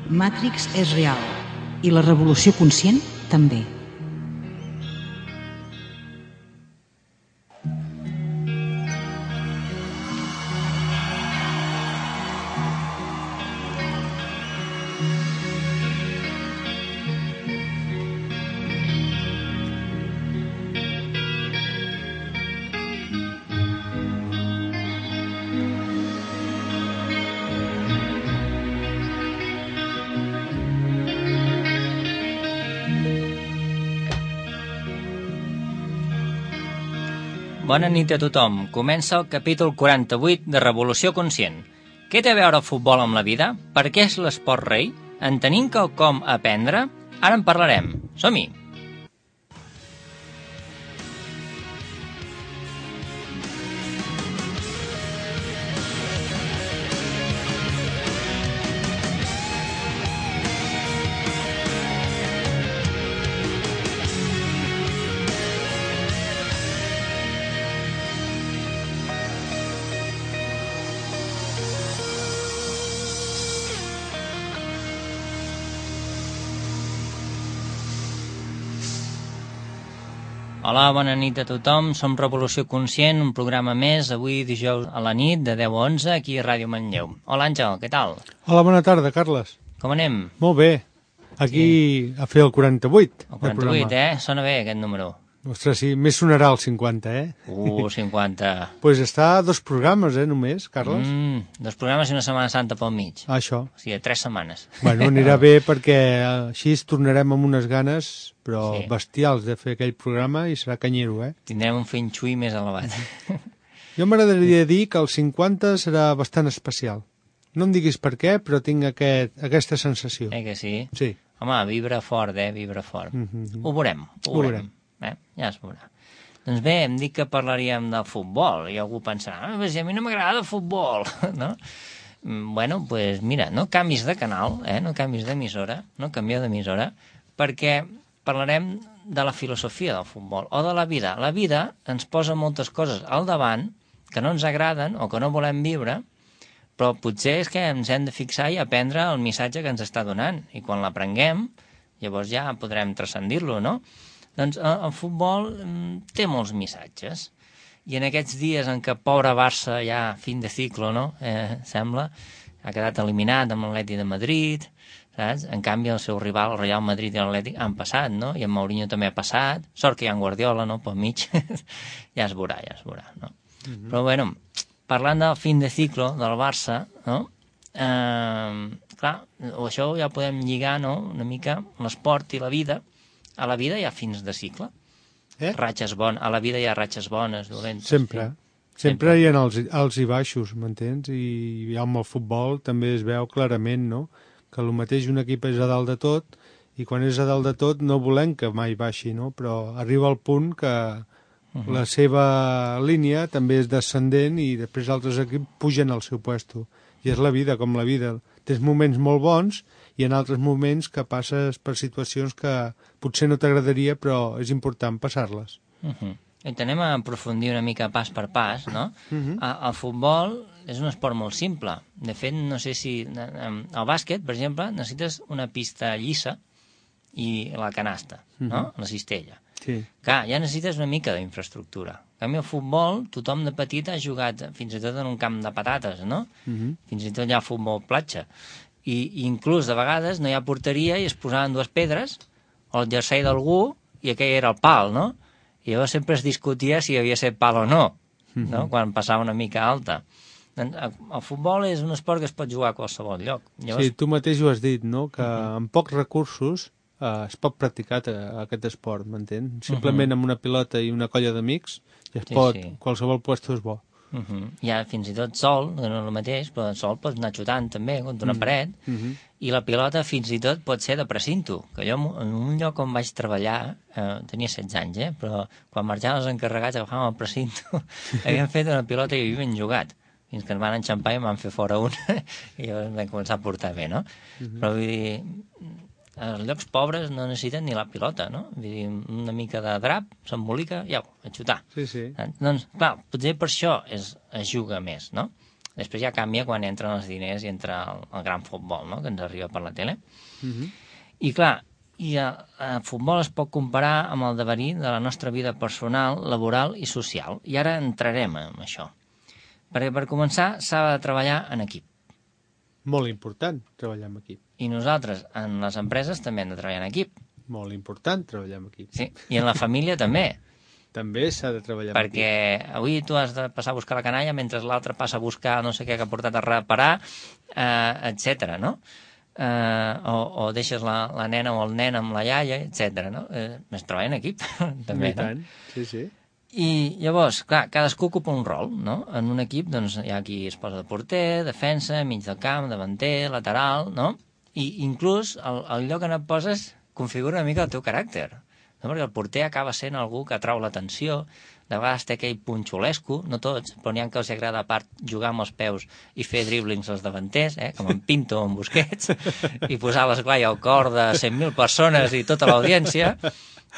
Matrix és real i la revolució conscient també. Bona nit a tothom. Comença el capítol 48 de Revolució Conscient. Què té a veure el futbol amb la vida? Per què és l'esport rei? En tenim quelcom a aprendre? Ara en parlarem. Som-hi! Hola, bona nit a tothom. Som Revolució Conscient, un programa més, avui dijous a la nit, de 10 a 11, aquí a Ràdio Manlleu. Hola, Àngel, què tal? Hola, bona tarda, Carles. Com anem? Molt bé. Aquí a fer el 48. El 48, Sona bé, aquest número. Ostres, sí, més sonarà el 50, 50. Pues està a 2 programes, només, Carles. 2 programes i una Setmana Santa pel mig. Això. O sigui, 3 setmanes. Bueno, anirà bé perquè així tornarem amb unes ganes, però Sí. bestials, de fer aquell programa i serà canyero, Tindrem un feng shui més elevat. Jo m'agradaria dir que el 50 serà bastant especial. No em diguis per què, però tinc aquesta sensació. Que sí? Sí. Home, vibra fort, vibra fort. Ho veurem, ho veurem. Ja es veurà. Doncs bé, hem dit que parlaríem del futbol, i algú pensarà, si a mi no m'agrada el futbol, no? Bueno, doncs pues mira, no canvis de canal, no canvis d'emissora, no canvieu d'emissora, perquè parlarem de la filosofia del futbol, o de la vida. La vida ens posa moltes coses al davant que no ens agraden o que no volem viure, però potser és que ens hem de fixar i aprendre el missatge que ens està donant, i quan l'aprenguem, llavors ja podrem transcendir-lo, no? Doncs el futbol té molts missatges, i en aquests dies en què pobre Barça ja fin de ciclo, no? Sembla, ha quedat eliminat amb l'Atlètic de Madrid, saps? En canvi el seu rival, el Real Madrid i l'Atlètic, han passat, no? I en Mourinho també ha passat, sort que hi ha en Guardiola, no?, pel mig, ja es veurà, no? Però bueno, parlant del fin de ciclo del Barça, no? Clar, això ja podem lligar, no?, una mica l'esport i la vida. A la vida hi ha fins de cicle. Ratxes bones. A la vida hi ha ratxes bones, dolentes. Sempre hi ha alts i baixos, m'entens? I amb el futbol també es veu clarament, no?, que el mateix un equip és a dalt de tot, i quan és a dalt de tot no volem que mai baixi, no? Però arriba al punt que la seva línia també és descendent i després altres equips pugen al seu puesto. I és la vida, com la vida. Tens moments molt bons i en altres moments que passes per situacions que potser no t'agradaria, però és important passar-les. I anem a aprofundir una mica pas per pas, no? El futbol és un esport molt simple. De fet, no sé si... Al bàsquet, per exemple, necessites una pista llisa i la canasta, no? La cistella. Sí. Clar, ja necessites una mica d'infraestructura. En canvi, el futbol, tothom de petit ha jugat fins i tot en un camp de patates, no? Fins i tot hi ha futbol platja. I inclús de vegades no hi ha porteria i es posaven 2 pedres o el jersei d'algú i aquell era el pal, no? I llavors sempre es discutia si havia set pal o no, quan passava una mica alta. El futbol és un esport que es pot jugar a qualsevol lloc. Llavors... Sí, tu mateix ho has dit, no?, que amb pocs recursos es pot practicar aquest esport, m'entens? Simplement amb una pilota i una colla d'amics ja es pot, qualsevol puesto és bo. Ja fins i tot sol, no és el mateix, però sol pots anar xutant també contra una paret, i la pilota fins i tot pot ser de precinto, que jo en un lloc on vaig treballar, tenia 16 anys, però quan marxaven els encarregats agafàvem el precinto, havien fet una pilota i havien jugat, fins que ens van enxampar i em van fer fora una, i llavors vam començar a portar bé, no? Però vull dir, els llocs pobres no necessiten ni la pilota, no? Vull dir, una mica de drap, s'embolica, i au, a xutar. Sí. Doncs, clar, potser per això es juga més, no? Després ja canvia quan entren els diners i entra el gran futbol, no?, que ens arriba per la tele. I clar, el futbol es pot comparar amb el devenir de la nostra vida personal, laboral i social. I ara entrarem en això. Perquè per començar s'ha de treballar en equip. Molt important, treballar en equip. I nosaltres, en les empreses, també hem de treballar en equip. Molt important, treballar en equip. Sí, i en la família també. També s'ha de treballar en equip. Perquè avui tu has de passar a buscar la canalla mentre l'altre passa a buscar no sé què que ha portat a reparar, etc. no? O deixes la nena o el nen amb la iaia, etc. no? Es treballa en equip, també, I tant, sí. I llavors, clar, cadascú ocupa un rol, no? En un equip, doncs, hi ha qui es posa de porter, defensa, mig del camp, davanter, lateral, no? I inclús el lloc on et poses configura una mica el teu caràcter, no? Perquè el porter acaba sent algú que atrau l'atenció, de vegades té aquell punxolesco, no tots, però n'hi ha que els agrada a part jugar amb els peus i fer driblings als davanters, com en Pinto o en Busquets, i posar l'esglai al cor de 100.000 persones i tota l'audiència,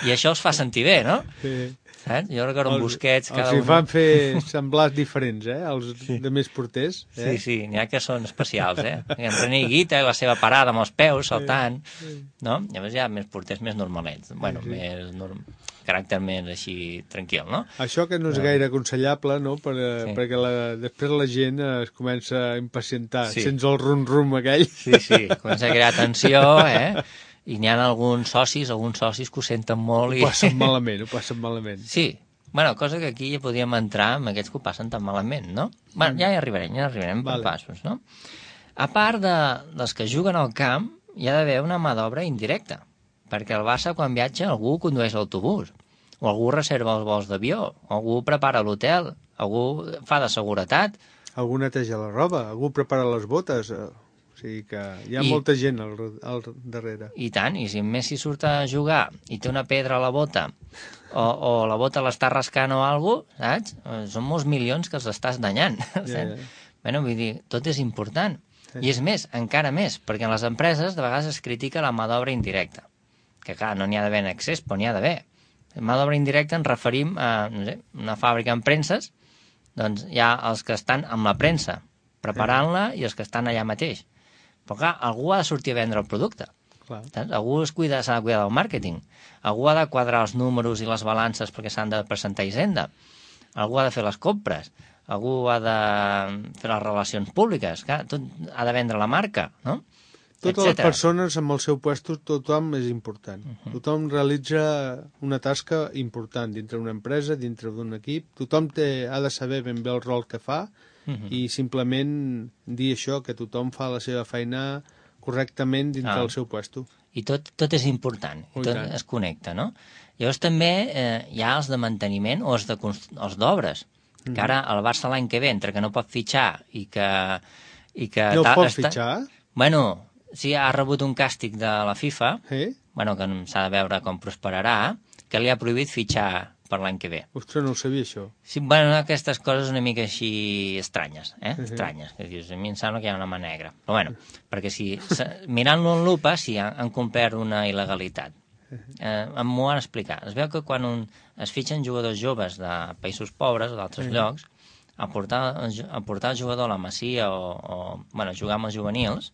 i això els fa sentir bé, no? Sí. Saps? Jo recordo en Busquets... Els hi fan fer semblars diferents, els de més porters. Sí, n'hi ha que són especials, En René Higuita, la seva parada amb els peus, saltant, no? Llavors hi ha més porters més normalets, bueno, més caràcter més així tranquil, no? Això que no és gaire aconsellable, no? Perquè després la gent es comença a impacientar, sents el rum-rum aquell. Sí, comença a crear tensió, i n'hi ha alguns socis que ho senten molt. Ho passen malament. Sí, bueno, cosa que aquí ja podríem entrar amb aquests que ho passen tan malament, no? Bueno, ja hi arribarem per passos, no? A part dels que juguen al camp, hi ha d'haver una mà d'obra indirecta, perquè al Barça, quan viatja, algú condueix l'autobús, o algú reserva els vols d'avió, o algú prepara l'hotel, algú fa de seguretat. Algú neteja la roba, algú prepara les botes... O sigui que hi ha molta gent al darrere. I tant, i si en Messi surt a jugar i té una pedra a la bota o la bota l'està rascant o alguna cosa, saps? Són molts milions que els estàs danyant. Bueno, vull dir, tot és important. I és més, encara més, perquè en les empreses de vegades es critica la mà d'obra indirecta. Que clar, no n'hi ha d'haver en excés, però n'hi ha d'haver. Mà d'obra indirecta ens referim a, no sé, una fàbrica amb premses, doncs hi ha els que estan amb la premsa preparant-la i els que estan allà mateix. Però clar, algú ha de sortir a vendre el producte. Algú s'ha de cuidar del màrqueting. Algú ha de quadrar els números i les balances perquè s'han de presentar a Hisenda. Algú ha de fer les compres. Algú ha de fer les relacions públiques. Clar, tot ha de vendre la marca, no? Totes les persones amb el seu puesto, tothom és important. Tothom realitza una tasca important dintre d'una empresa, dintre d'un equip. Tothom ha de saber ben bé el rol que fa i simplement dir això, que tothom fa la seva feina correctament dintre del seu puesto. I tot és important, i tot es connecta, no? Llavors també hi ha els de manteniment o els d'obres, que ara el Barça l'any que ve, entre que no pot fitxar i que... No pot fitxar? Bueno, sí, ha rebut un càstig de la FIFA, bueno, que s'ha de veure com prosperarà, que li ha prohibit fitxar per l'any que ve. Ostres, no ho sabia, això. Sí, bueno, aquestes coses una mica així estranyes, estranyes, que dius, a mi em sembla que hi ha una mà negra. Però bueno, perquè si mirant-lo en lupa, sí, han complert una il·legalitat. M'ho van explicar. Es veu que quan es fitxen jugadors joves de països pobres o d'altres llocs, a portar el jugador a la Masia o jugar amb els juvenils,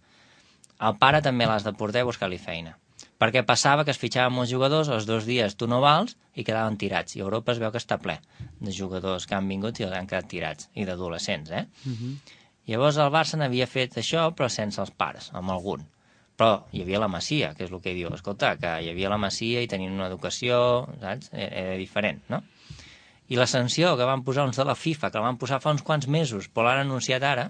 el pare també l'has de portar a buscar-li feina. Perquè passava que es fitxaven molts jugadors, els 2 dies tu no vals i quedaven tirats. I Europa es veu que està ple de jugadors que han vingut i han quedat tirats, i d'adolescents, Llavors el Barça n'havia fet això, però sense els pares, amb algun. Però hi havia la Masia, que és el que diu, escolta, que hi havia la Masia i tenien una educació, saps? Era diferent, no? I la sanció que van posar uns de la FIFA, que la van posar fa uns quants mesos, però l'han anunciat ara,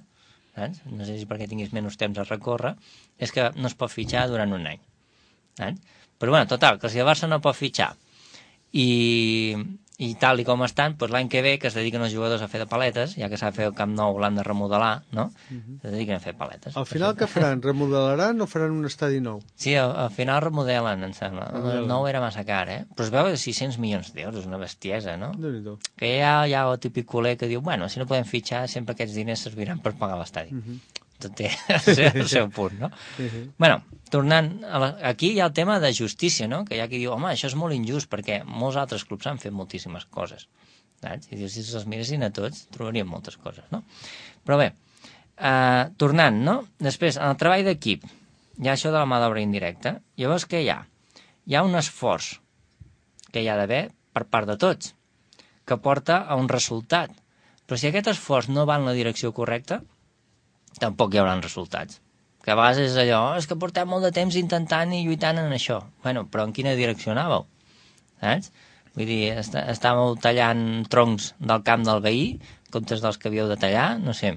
saps? No sé si perquè tinguis menys temps a recórrer, és que no es pot fitxar durant un any. Però bueno, total, que si el Barça no pot fitxar i tal i com estan, doncs l'any que ve que es dediquen els jugadors a fer de paletes, ja que s'ha de fer el Camp Nou, l'han de remodelar, no? Es dediquen a fer paletes. Al final què faran? Remodelaran o faran un estadi nou? Sí, al final remodelen, em sembla. El nou era massa car, Però es veu que 600 milions d'euros, una bestiesa, no? Déu-n'hi-do. Que hi ha el típic culer que diu, bueno, si no podem fitxar, sempre aquests diners serviran per pagar l'estadi. Tot té el seu punt, no? Bueno, tornant, aquí hi ha el tema de justícia, no? Que hi ha qui diu, home, això és molt injust, perquè molts altres clubs han fet moltíssimes coses. Saps? I dius, si els miressin a tots, trobarien moltes coses, no? Però bé, Tornant, no? Després, en el treball d'equip, hi ha això de la mà d'obra indirecta. Llavors, què hi ha? Hi ha un esforç que hi ha d'haver per part de tots, que porta a un resultat. Però si aquest esforç no va en la direcció correcta, tampoc hi haurà resultats. Que a vegades és allò, és que portem molt de temps intentant i lluitant en això. Bueno, però en quina direcció anàveu? Saps? Vull dir, estàveu tallant troncs del camp del veí, comptes dels que havíeu de tallar, no sé.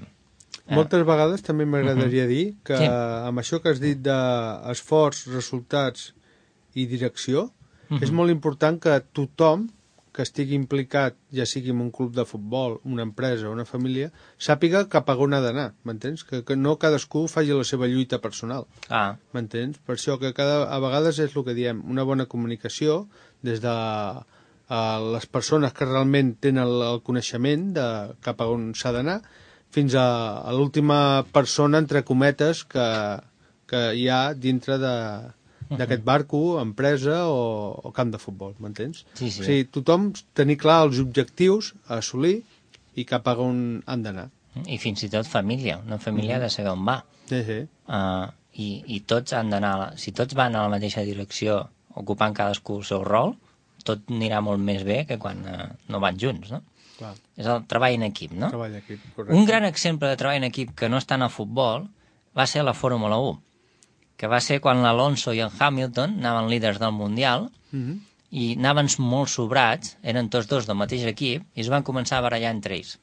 Moltes vegades també m'agradaria dir que amb això que has dit d'esforç, resultats i direcció, és molt important que tothom que estigui implicat, ja sigui en un club de futbol, una empresa o una família, sàpiga cap a on ha d'anar, m'entens? Que no cadascú faci la seva lluita personal, m'entens? Per això que a vegades és el que diem, una bona comunicació des de les persones que realment tenen el coneixement de cap a on s'ha d'anar, fins a l'última persona, entre cometes, que hi ha dintre d'aquest barco, empresa o camp de futbol, m'entens? Sí. O sigui, tothom tenir clar els objectius a assolir i cap a on han d'anar. I fins i tot família. Una família ha de saber on va. Sí. I tots han d'anar... Si tots van a la mateixa direcció, ocupant cadascú el seu rol, tot anirà molt més bé que quan no van junts, no? Clar. És el treball en equip, no? Treball en equip, correcte. Un gran exemple de treball en equip que no està en el futbol va ser la Fórmula 1, que va ser quan l'Alonso i el Hamilton anaven líders del Mundial i anaven molt sobrats, eren tots dos del mateix equip, i es van començar a barallar entre ells.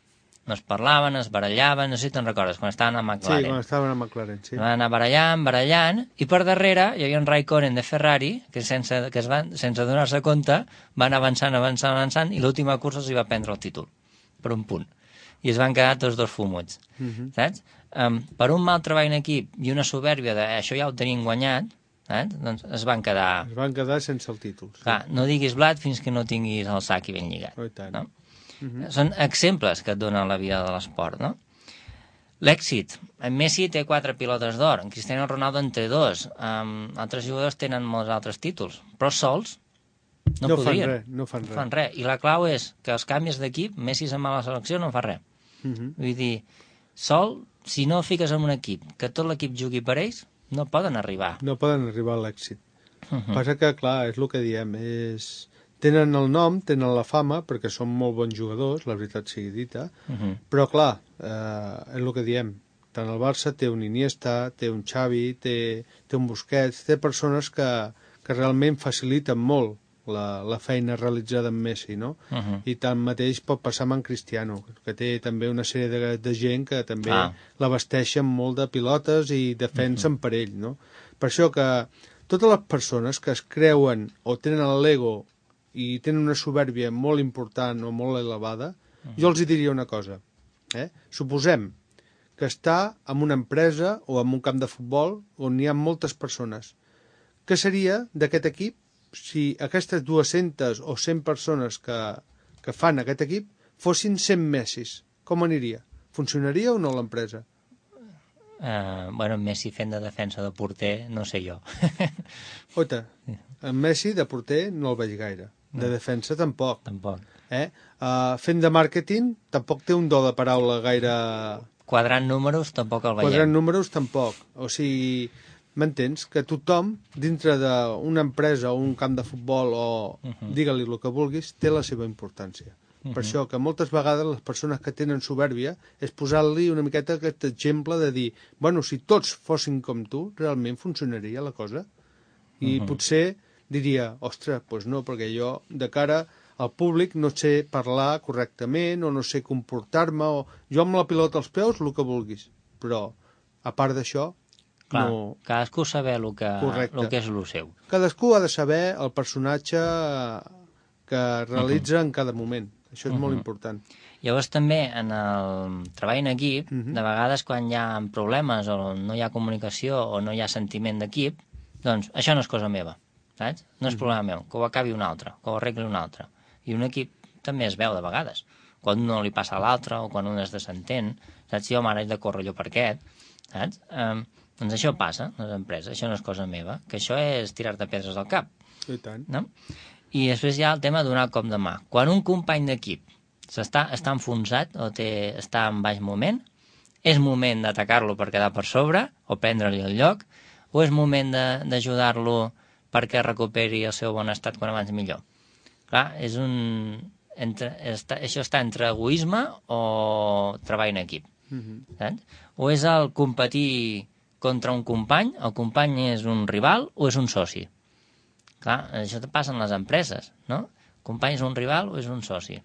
No es parlaven, es barallaven, no sé si te'n recordes, quan estaven a McLaren. Sí, quan estaven a McLaren, sí. Van anar barallant, i per darrere hi havia un Raikkonen de Ferrari, que sense donar-se compte van avançant, i l'última cursa els hi va prendre el títol, per un punt. I es van quedar tots dos fumuts, saps? Per un mal treball en equip i una soberbia de això ja ho tenim guanyat, saps? Doncs es van quedar... Es van quedar sense el títol. Sí. Clar, no diguis blat fins que no tinguis el sac ben lligat. Oh, i tant. No? Són exemples que et donen la vida de l'esport, no? L'èxit. En Messi té 4 pilotes d'or, en Cristiano Ronaldo en té 2, altres jugadors tenen molts altres títols, però sols no podrien. No fan res. I la clau és que els canvis d'equip, Messi se'n va a la selecció, no fa res. Vull dir, sol, si no fiques en un equip, que tot l'equip jugui per ells, no poden arribar. No poden arribar a l'èxit. Passa que, clar, és el que diem, tenen el nom, tenen la fama, perquè són molt bons jugadors, la veritat sigui dita, però, clar, és el que diem, tant el Barça té un Iniesta, té un Xavi, té un Busquets, té persones que realment faciliten molt la feina realitzada amb Messi, no? I tanmateix pot passar amb en Cristiano, que té també una sèrie de gent que també l'abasteixen molt de pilotes i defensen per ell, no? Per això que totes les persones que es creuen o tenen l'ego i tenen una soberbia molt important o molt elevada, jo els diria una cosa. Suposem que està en una empresa o en un camp de futbol on hi ha moltes persones. Què seria d'aquest equip si aquestes 200 o 100 persones que fan aquest equip fossin 100 Messis? Com aniria? Funcionaria o no l'empresa? Bueno, Messi fent de defensa de porter, no sé jo. Oita, en Messi de porter no el veig gaire. De defensa tampoc. Fent de màrqueting tampoc té un do de paraula gaire... Quadrant números tampoc el veiem. Quadrant números tampoc. O sigui, m'entens? Que tothom, dintre d'una empresa o un camp de futbol o digue-li el que vulguis, té la seva importància. Per això que moltes vegades les persones que tenen soberbia és posar-li una miqueta aquest exemple de dir, bueno, si tots fossin com tu, realment funcionaria la cosa? I potser diria, ostres, doncs no, perquè jo de cara al públic no sé parlar correctament o no sé comportar-me, o jo amb la pilota als peus, el que vulguis. Però, a part d'això, no... Cadascú saber el que és el seu. Cadascú ha de saber el personatge que realitza en cada moment. Això és molt important. Llavors també en el treball en equip, de vegades quan hi ha problemes o no hi ha comunicació o no hi ha sentiment d'equip, doncs això no és cosa meva, saps? No és problema meu, que ho acabi un altre, que ho arregli un altre. I un equip també es veu de vegades, quan un no li passa a l'altre o quan un es desentén, saps? Jo m'ara haig de córrer allò per aquest, saps? Doncs això passa a les empreses, això no és cosa meva, que això és tirar-te pedres al cap. I tant. No? I després hi ha el tema de donar cop de mà. Quan un company d'equip està enfonsat o està en baix moment, és moment d'atacar-lo per quedar per sobre o prendre-li el lloc, o és moment d'ajudar-lo perquè recuperi el seu bon estat quan abans millor. Clar, això està entre egoisme o treball en equip. Saps? O és el competir contra un company, el company és un rival o és un soci. Clar, això passa en les empreses, no? El company és un rival o és un soci.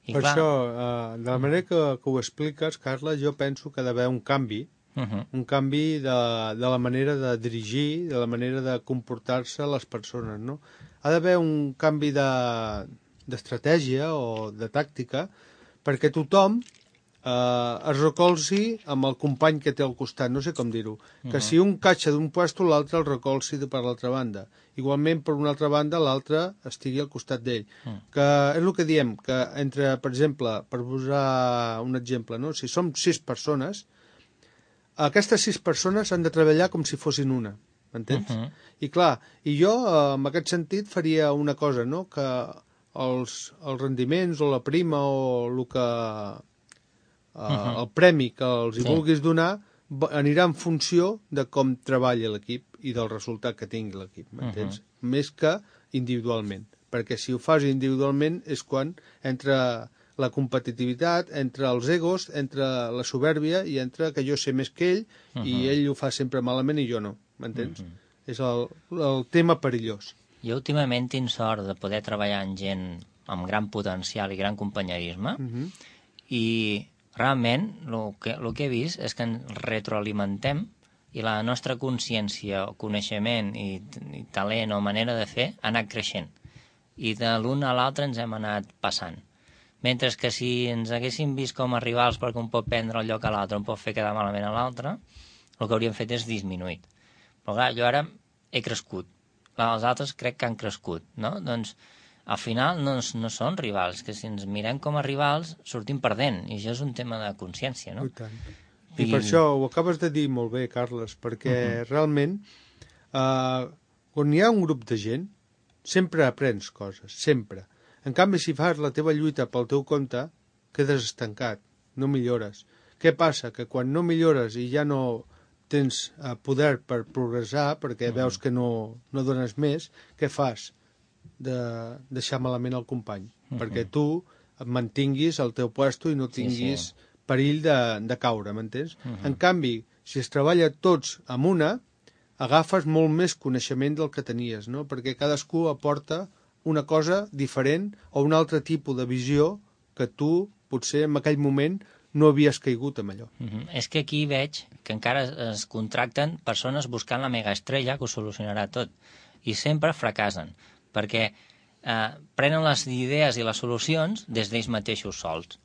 I per clar... això, de la manera que ho expliques, Carla, jo penso que ha d'haver un canvi, un canvi de la manera de dirigir, de la manera de comportar-se les persones, no? Ha d'haver un canvi d'estratègia o de tàctica perquè tothom es recolzi amb el company que té al costat, no sé com dir-ho, que si un catxa d'un puesto, l'altre el recolzi per l'altra banda. Igualment, per una altra banda, l'altre estigui al costat d'ell. Que és el que diem, que entre, per exemple, per posar un exemple, no? Si som 6 persones, aquestes 6 persones han de treballar com si fossin una, m'entens? I clar, i jo, en aquest sentit, faria una cosa, no? Que els rendiments o la prima o el que... el premi que els hi vulguis donar anirà en funció de com treballa l'equip i del resultat que tingui l'equip, m'entens? Més que individualment, perquè si ho fas individualment és quan entra la competitivitat, entre els egos, entre la soberbia i entre que jo sé més que ell i ell ho fa sempre malament i jo no, m'entens? És el tema perillós. Jo últimament tinc sort de poder treballar amb gent amb gran potencial i gran companyerisme i realment el que he vist és que ens retroalimentem i la nostra consciència, coneixement i talent o manera de fer ha anat creixent. I de l'un a l'altre ens hem anat passant. Mentre que si ens haguéssim vist com a rivals perquè un pot prendre el lloc a l'altre, un pot fer quedar malament a l'altre, el que hauríem fet és disminuït. Però clar, jo ara he crescut. Els altres crec que han crescut, no? Doncs al final no són rivals, que si ens mirem com a rivals sortim perdent, i això és un tema de consciència, no? I tant. I per això ho acabes de dir molt bé, Carles, perquè realment quan hi ha un grup de gent sempre aprens coses, sempre. En canvi, si fas la teva lluita pel teu compte, quedes estancat, no millores. Què passa? Que quan no millores i ja no tens poder per progressar, perquè veus que no dones més, què fas? De deixar malament el company, perquè tu et mantinguis al teu puesto i no tinguis perill de caure, m'entens? En canvi, si es treballa tots amb una, agafes molt més coneixement del que tenies, no? Perquè cadascú aporta una cosa diferent o un altre tipus de visió que tu, potser en aquell moment, no havies caigut amb allò. És que aquí veig que encara es contracten persones buscant la megaestrella que ho solucionarà tot, i sempre fracassen, perquè prenen les idees i les solucions des d'ells mateixos sols.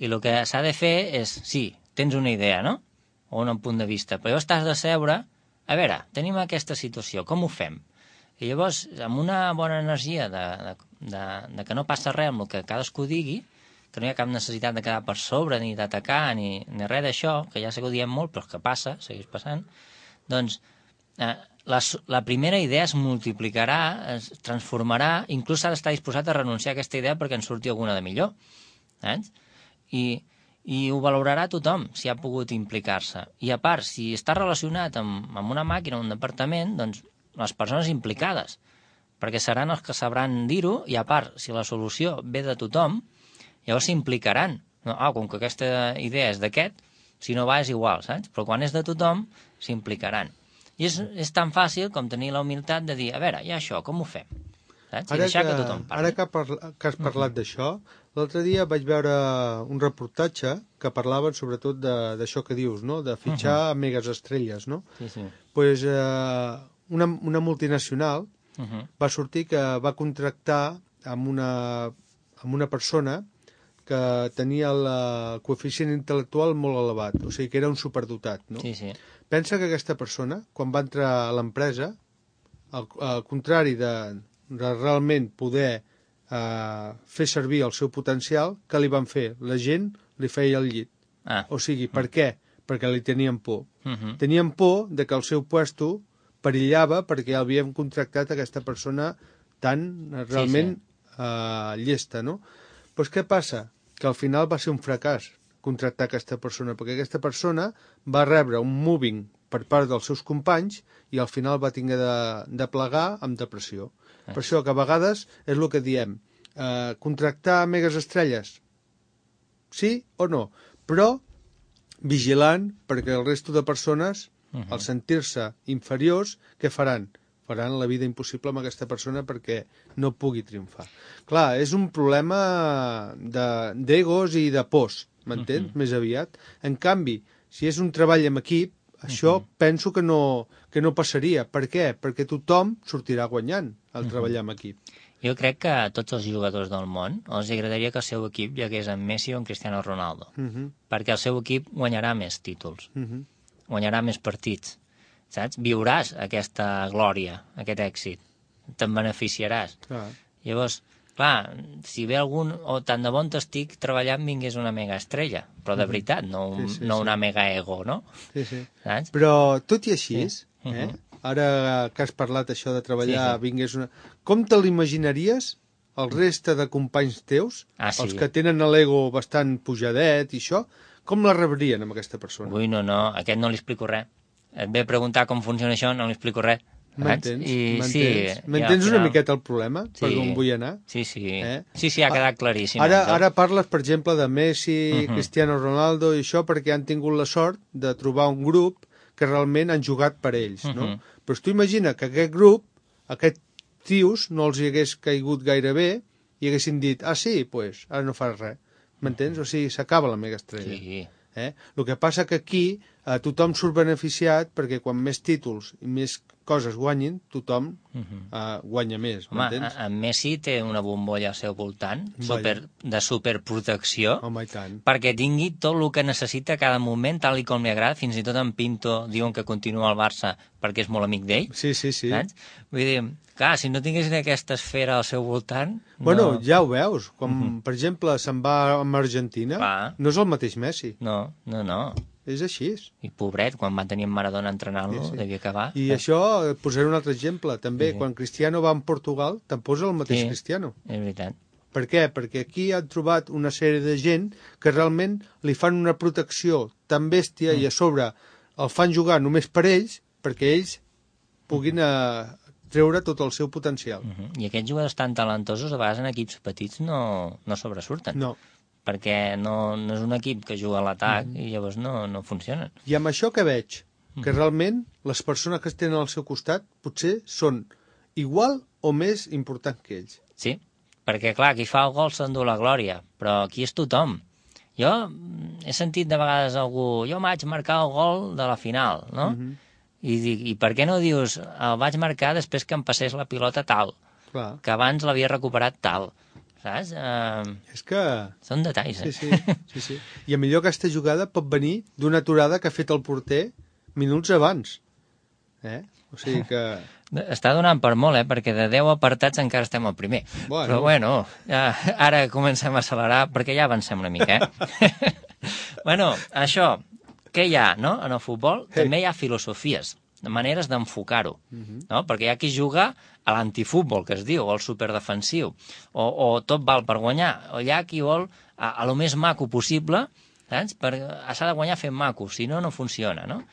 I el que s'ha de fer és, sí, tens una idea, no? O un punt de vista, però llavors t'has de seure, a veure, tenim aquesta situació, com ho fem? I llavors, amb una bona energia de que no passa res amb el que cadascú digui, que no hi ha cap necessitat de quedar per sobre, ni d'atacar, ni res d'això, que ja sé que ho diem molt, però que passa, segueix passant, doncs la primera idea es multiplicarà, es transformarà, inclús s'ha d'estar disposat a renunciar a aquesta idea perquè en surti alguna de millor. Saps? I ho valorarà tothom, si ha pogut implicar-se. I a part, si està relacionat amb una màquina o un departament, doncs les persones implicades, perquè seran els que sabran dir-ho, i a part, si la solució ve de tothom, llavors s'implicaran. Com que aquesta idea és d'aquest, si no va és igual, saps? Però quan és de tothom, s'implicaran. I és tan fàcil com tenir la humilitat de dir, a veure, ja això, com ho fem? Saps? I deixar que tothom parli. Ara que has parlat d'això, l'altre dia vaig veure un reportatge que parlava sobretot d'això que dius, no? De fitxar megas estrelles, no? Sí. Pues una multinacional va sortir que va contractar amb una persona que tenia el coeficient intel·lectual molt elevat, o sigui que era un superdotat, no? Sí. Pensa que aquesta persona, quan va entrar a l'empresa, al contrari de realment poder fer servir el seu potencial, que li van fer? La gent li feia el llit. O sigui, per què? Perquè li tenien por. Tenien por de que el seu puesto perillava perquè havien contractat aquesta persona tan realment llesta, no? Doncs què passa? Que al final va ser un fracàs, contractar aquesta persona, perquè aquesta persona va rebre un moving per part dels seus companys i al final va tinguer de plegar amb depressió. Per això que a vegades és el que diem, contractar megas estrelles, sí o no, però vigilant perquè el resto de persones, al sentir-se inferiors, què faran? Faran la vida impossible amb aquesta persona perquè no pugui triomfar. Clar, és un problema d'egos i de pors, m'entens? Més aviat. En canvi, si és un treball en equip, això penso que no passaria. Per què? Perquè tothom sortirà guanyant al treballar en equip. Jo crec que a tots els jugadors del món els agradaria que el seu equip hi hagués en Messi o en Cristiano Ronaldo, perquè el seu equip guanyarà més títols, guanyarà més partits, saps? Viuràs aquesta glòria, aquest èxit, te'n beneficiaràs. Llavors, clar, si ve algun, o tant de bon t'estic treballant vingués una mega estrella, però de veritat, no una mega ego, no? Saps? Però tot i així, ara que has parlat això de treballar, vingués una... Com te l'imaginaries el reste de companys teus, els que tenen l'ego bastant pujadet i això, com la rebrien amb aquesta persona? Ui, no, aquest no li explico res. Et ve a preguntar com funciona això, no li explico res. M'entens una miqueta el problema? Per on vull anar? Sí, ha quedat claríssim. Ara parles, per exemple, de Messi, Cristiano Ronaldo i això perquè han tingut la sort de trobar un grup que realment han jugat per ells, no? Però tu imagina que aquest grup, aquests tios, no els hi hagués caigut gaire bé i haguessin dit, sí, doncs, ara no fas res. M'entens? O sigui, s'acaba la mega estrella. Sí. El que passa que aquí tothom surt beneficiat perquè quan més títols i més coses guanyin, tothom guanya més, m'entens? En Messi té una bombolla al seu voltant de superprotecció perquè tingui tot el que necessita a cada moment, tal i com li agrada. Fins i tot en Pinto diuen que continua al Barça perquè és molt amic d'ell. Sí. Vull dir, clar, si no tinguessin aquesta esfera al seu voltant... Bueno, ja ho veus. Quan, per exemple, se'n va amb Argentina, no és el mateix Messi. No. És així. I pobret, quan va tenir en Maradona entrenant-lo, devia acabar. I això, posaré un altre exemple, també. Quan Cristiano va en Portugal, tampoc és el mateix Cristiano. És veritat. Per què? Perquè aquí han trobat una sèrie de gent que realment li fan una protecció tan bèstia i a sobre el fan jugar només per ells, perquè ells puguin treure tot el seu potencial. I aquests jugadors tan talentosos, a vegades en equips petits no sobresurten. No. Perquè no és un equip que juga a l'atac i llavors no funcionen. I amb això que veig, que realment les persones que tenen al seu costat potser són igual o més importants que ells. Sí, perquè clar, qui fa el gol s'endú la glòria, però aquí és tothom. Jo he sentit de vegades algú, jo vaig marcar el gol de la final, no? I dic, i per què no dius, el vaig marcar després que em passés la pilota tal, que abans l'havia recuperat tal, saps? És que... Són detalls, Sí. I a millor aquesta jugada pot venir d'una aturada que ha fet el porter minuts abans. O sigui que... Està donant per molt, perquè de 10 apartats encara estem al primer. Però bueno, ara comencem a accelerar perquè ja avancem una mica, Bueno, això, què hi ha, no?, en el futbol? També hi ha filosofies, maneres d'enfocar-ho, no? Perquè hi ha qui juga a l'antifútbol, que es diu, o al superdefensiu, o tot val per guanyar, o hi ha qui vol a lo més maco possible, saps? S'ha de guanyar fent maco, si no, no funciona, no?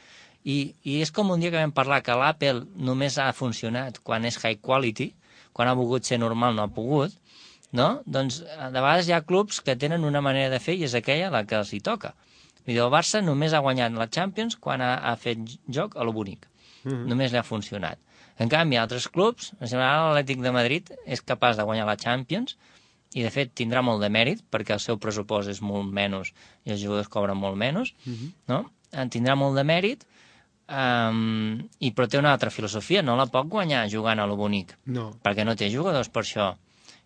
I és com un dia que vam parlar que l'Apple només ha funcionat quan és high quality, quan ha volgut ser normal no ha pogut, no? Doncs de vegades hi ha clubs que tenen una manera de fer i és aquella la que els hi toca. El Barça només ha guanyat la Champions quan ha fet joc a lo bonic. Només li ha funcionat. En canvi, altres clubs, en general l'Atlètic de Madrid és capaç de guanyar la Champions i, de fet, tindrà molt de mèrit perquè el seu pressupost és molt menys i els jugadors cobren molt menys, no? Tindrà molt de mèrit, però té una altra filosofia, no la pot guanyar jugant a lo bonic, perquè no té jugadors per això.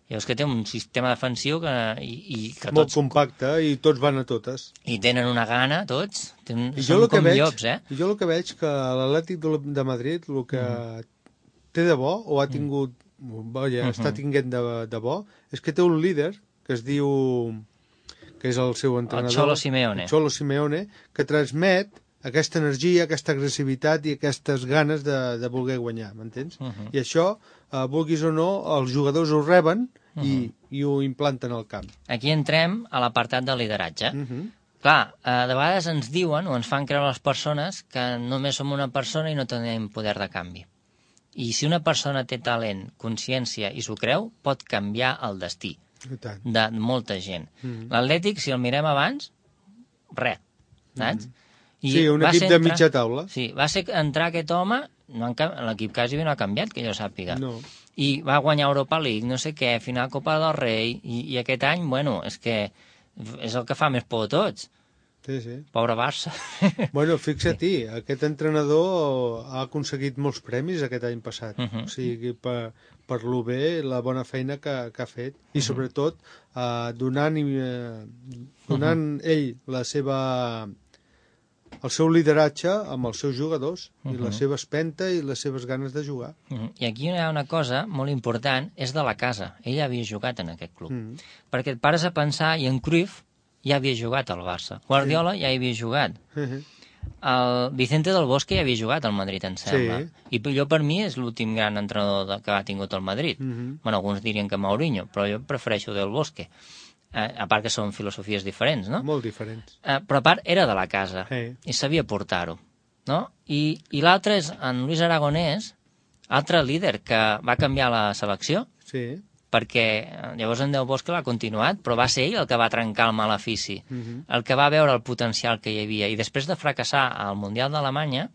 Llavors que té un sistema defensiu que molt compacte i tots van a totes. I tenen una gana, tots. Són com llops, I jo el que veig que l'Atlètic de Madrid el que té de bo, o ha tingut, està tinguent de bo, és que té un líder que es diu, que és el seu entrenador, el Cholo Simeone, que transmet aquesta energia, aquesta agressivitat i aquestes ganes de voler guanyar, m'entens? I això, vulguis o no, els jugadors ho reben i ho implanten al camp. Aquí entrem a l'apartat de lideratge. Clar, de vegades ens diuen o ens fan creure les persones que només som una persona i no tenim poder de canvi. I si una persona té talent, consciència i s'ho creu, pot canviar el destí de molta gent. L'Atlètic, si el mirem abans, res, saps? Sí, un equip de mitja taula. Sí, va ser entrar aquest home, l'equip quasi no ha canviat, que jo sàpiga. No. I va guanyar Europa League, no sé què, final Copa del Rei, i aquest any, bueno, és que és el que fa més por a tots. Sí, sí. Pobre Barça. Bueno, fixa-t'hi, aquest entrenador ha aconseguit molts premis aquest any passat. O sigui, per lo bé, la bona feina que ha fet. I sobretot donant ell el seu lideratge amb els seus jugadors i la seva espenta i les seves ganes de jugar. I aquí hi ha una cosa molt important, és de la casa. Ell havia jugat en aquest club. Perquè et pares a pensar, i en Cruyff ja havia jugat al Barça. Guardiola ja hi havia jugat. El Vicente del Bosque ja havia jugat al Madrid, em sembla. I jo, per mi, és l'últim gran entrenador que ha tingut el Madrid. Bueno, alguns dirien que Mourinho, però jo prefereixo del Bosque. A part que són filosofies diferents, no? Molt diferents. Però a part era de la casa i sabia portar-ho, no? I l'altre és en Luis Aragonès, altre líder que va canviar la selecció, perquè llavors en Del Bosque l'ha continuat, però va ser ell el que va trencar el malefici, el que va veure el potencial que hi havia. I després de fracassar al Mundial d'Alemanya,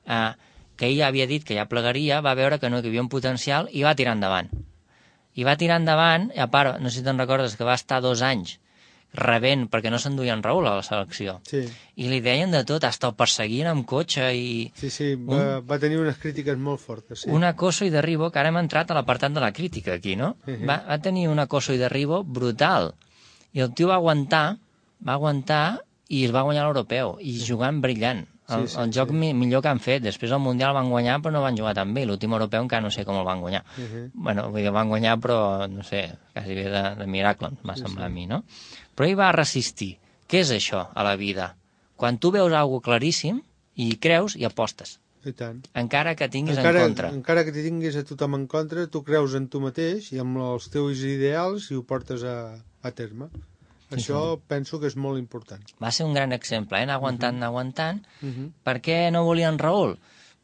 que ell havia dit que ja plegaria, va veure que no hi havia un potencial i va tirar endavant. I va tirar endavant, i a part, no sé si te'n recordes, que va estar 2 anys rebent, perquè no s'enduien Raül a la selecció. I li deien de tot, hasta el perseguien amb cotxe i... Sí, va tenir unes crítiques molt fortes. Un acoso i derribo, que ara hem entrat a l'apartat de la crítica aquí, no? Va tenir un acoso i derribo brutal. I el tio va aguantar i es va guanyar l'europeu, i jugant brillant. El joc millor que han fet. Després el Mundial van guanyar, però no van jugar tan bé. L'últim europeu encara no sé com el van guanyar. Bueno, vull dir, el van guanyar, però, no sé, quasi bé de miracle, m'ha semblat a mi, no? Però ell va resistir. Què és això a la vida? Quan tu veus alguna cosa claríssim i creus i apostes. I tant. Encara que tinguis en contra. Encara que tinguis a tothom en contra, tu creus en tu mateix i amb els teus ideals i ho portes a terme. Això penso que és molt important. Va ser un gran exemple, anar aguantant. Per què no volien Raül?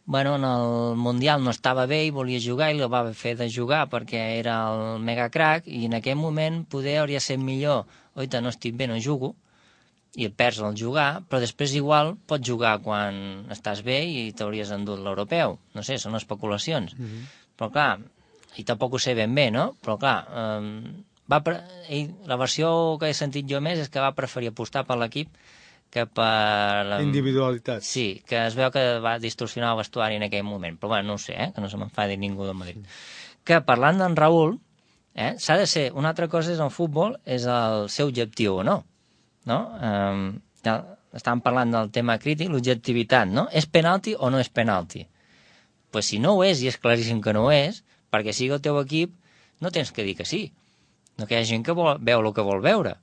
Bueno, en el Mundial no estava bé i volia jugar i el va fer de jugar perquè era el mega crack i en aquell moment poder hauria estat millor. Oita, no estic bé, no jugo, i et perds el jugar, però després igual pots jugar quan estàs bé i t'hauries endut l'europeu. No sé, són especulacions. Però clar, i tampoc ho sé ben bé, no? Però clar... la versió que he sentit jo més és que va preferir apostar per l'equip que per... Individualitat. Sí, que es veu que va distorsionar el vestuari en aquell moment. Però bueno, no ho sé, que no se m'enfadi ningú del Madrid. Que parlant d'en Raül, s'ha de ser... Una altra cosa és el futbol, és el seu objectiu o no. Estàvem parlant del tema crític, l'objectivitat, no? És penalti o no és penalti? Pues si no ho és, i és claríssim que no ho és, perquè sigui el teu equip, no tens que dir que sí. No que hi ha gent que veu el que vol veure,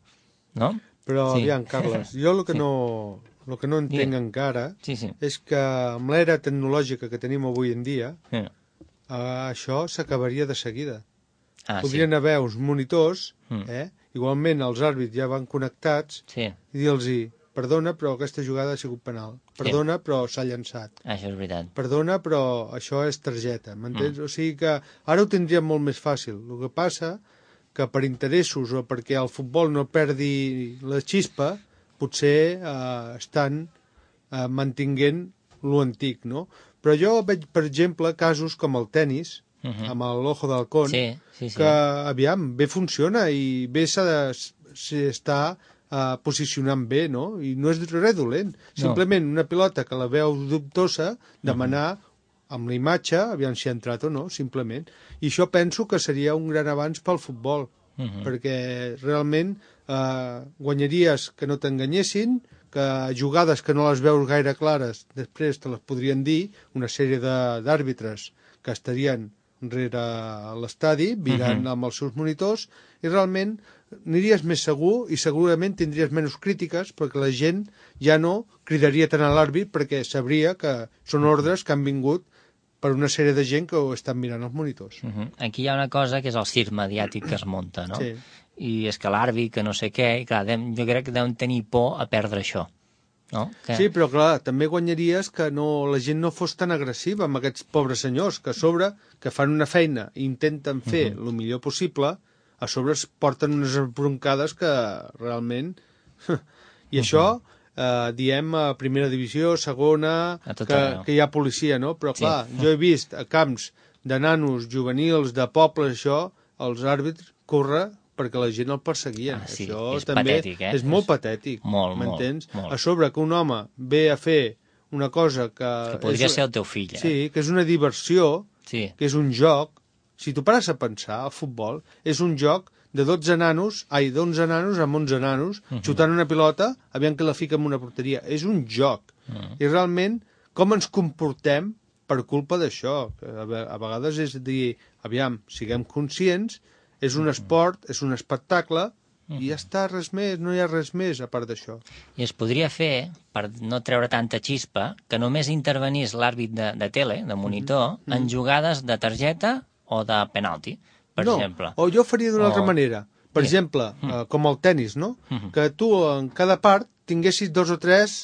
no? Però, aviam, Carles, jo el que no entenc encara és que amb l'era tecnològica que tenim avui en dia, això s'acabaria de seguida. Podrien haver uns monitors, igualment els àrbits ja van connectats, i dir-los, perdona, però aquesta jugada ha sigut penal. Perdona, però s'ha llançat. Això és veritat. Perdona, però això és targeta, m'entens? O sigui que ara ho tindríem molt més fàcil. El que passa que per interessos o perquè el futbol no perdi la xispa, potser estan mantinguent lo antic, no? Però jo veig, per exemple, casos com el tennis, amb l'Ojo d'Halcón, que, aviam, bé funciona i bé s'està posicionant bé, no? I no és res dolent. Simplement una pilota que la veu dubtosa, demanar amb la imatge, aviam si ha entrat o no, simplement. I això penso que seria un gran avanç pel futbol, perquè realment guanyaries que no t'enganyessin, que jugades que no les veus gaire clares, després te les podrien dir, una sèrie d'àrbitres que estarien rere l'estadi, mirant amb els seus monitors, i realment aniries més segur i segurament tindries menys crítiques perquè la gent ja no cridaria tant a l'àrbit perquè sabria que són ordres que han vingut per una sèrie de gent que ho estan mirant els monitors. Aquí hi ha una cosa que és el circ mediàtic que es munta, no? Sí. I és que l'àrbit, que no sé què, i clar, jo crec que deuen tenir por a perdre això. No? Que... Sí, però clar, també guanyaries que la gent no fos tan agressiva amb aquests pobres senyors, que a sobre, que fan una feina i intenten fer el millor possible, a sobre es porten unes broncades que realment... I això, diem, a primera divisió, segona, que hi ha policia, no? Però clar, jo he vist a camps de nanos juvenils, de pobles, això, els àrbitres córrer perquè la gent el perseguia. Això és també patètic, és molt patètic, m'entens? A sobre que un home ve a fer una cosa que podria ser el teu fill, Sí, que és una diversió, que és un joc. Si tu pares a pensar, el futbol és un joc de 11 nanos amb 11 nanos, xutant una pilota, aviam que la fica en una porteria. És un joc. I realment, com ens comportem per culpa d'això? A vegades és dir, aviam, siguem conscients, és un esport, és un espectacle, i ja està, res més, no hi ha res més a part d'això. I es podria fer, per no treure tanta xispa, que només intervenís l'àrbit de tele, de monitor, en jugades de targeta o de penalti, per exemple. O jo faria d'una altra manera. Per exemple, com el tennis, no? Que tu en cada part tinguessis 2 o 3...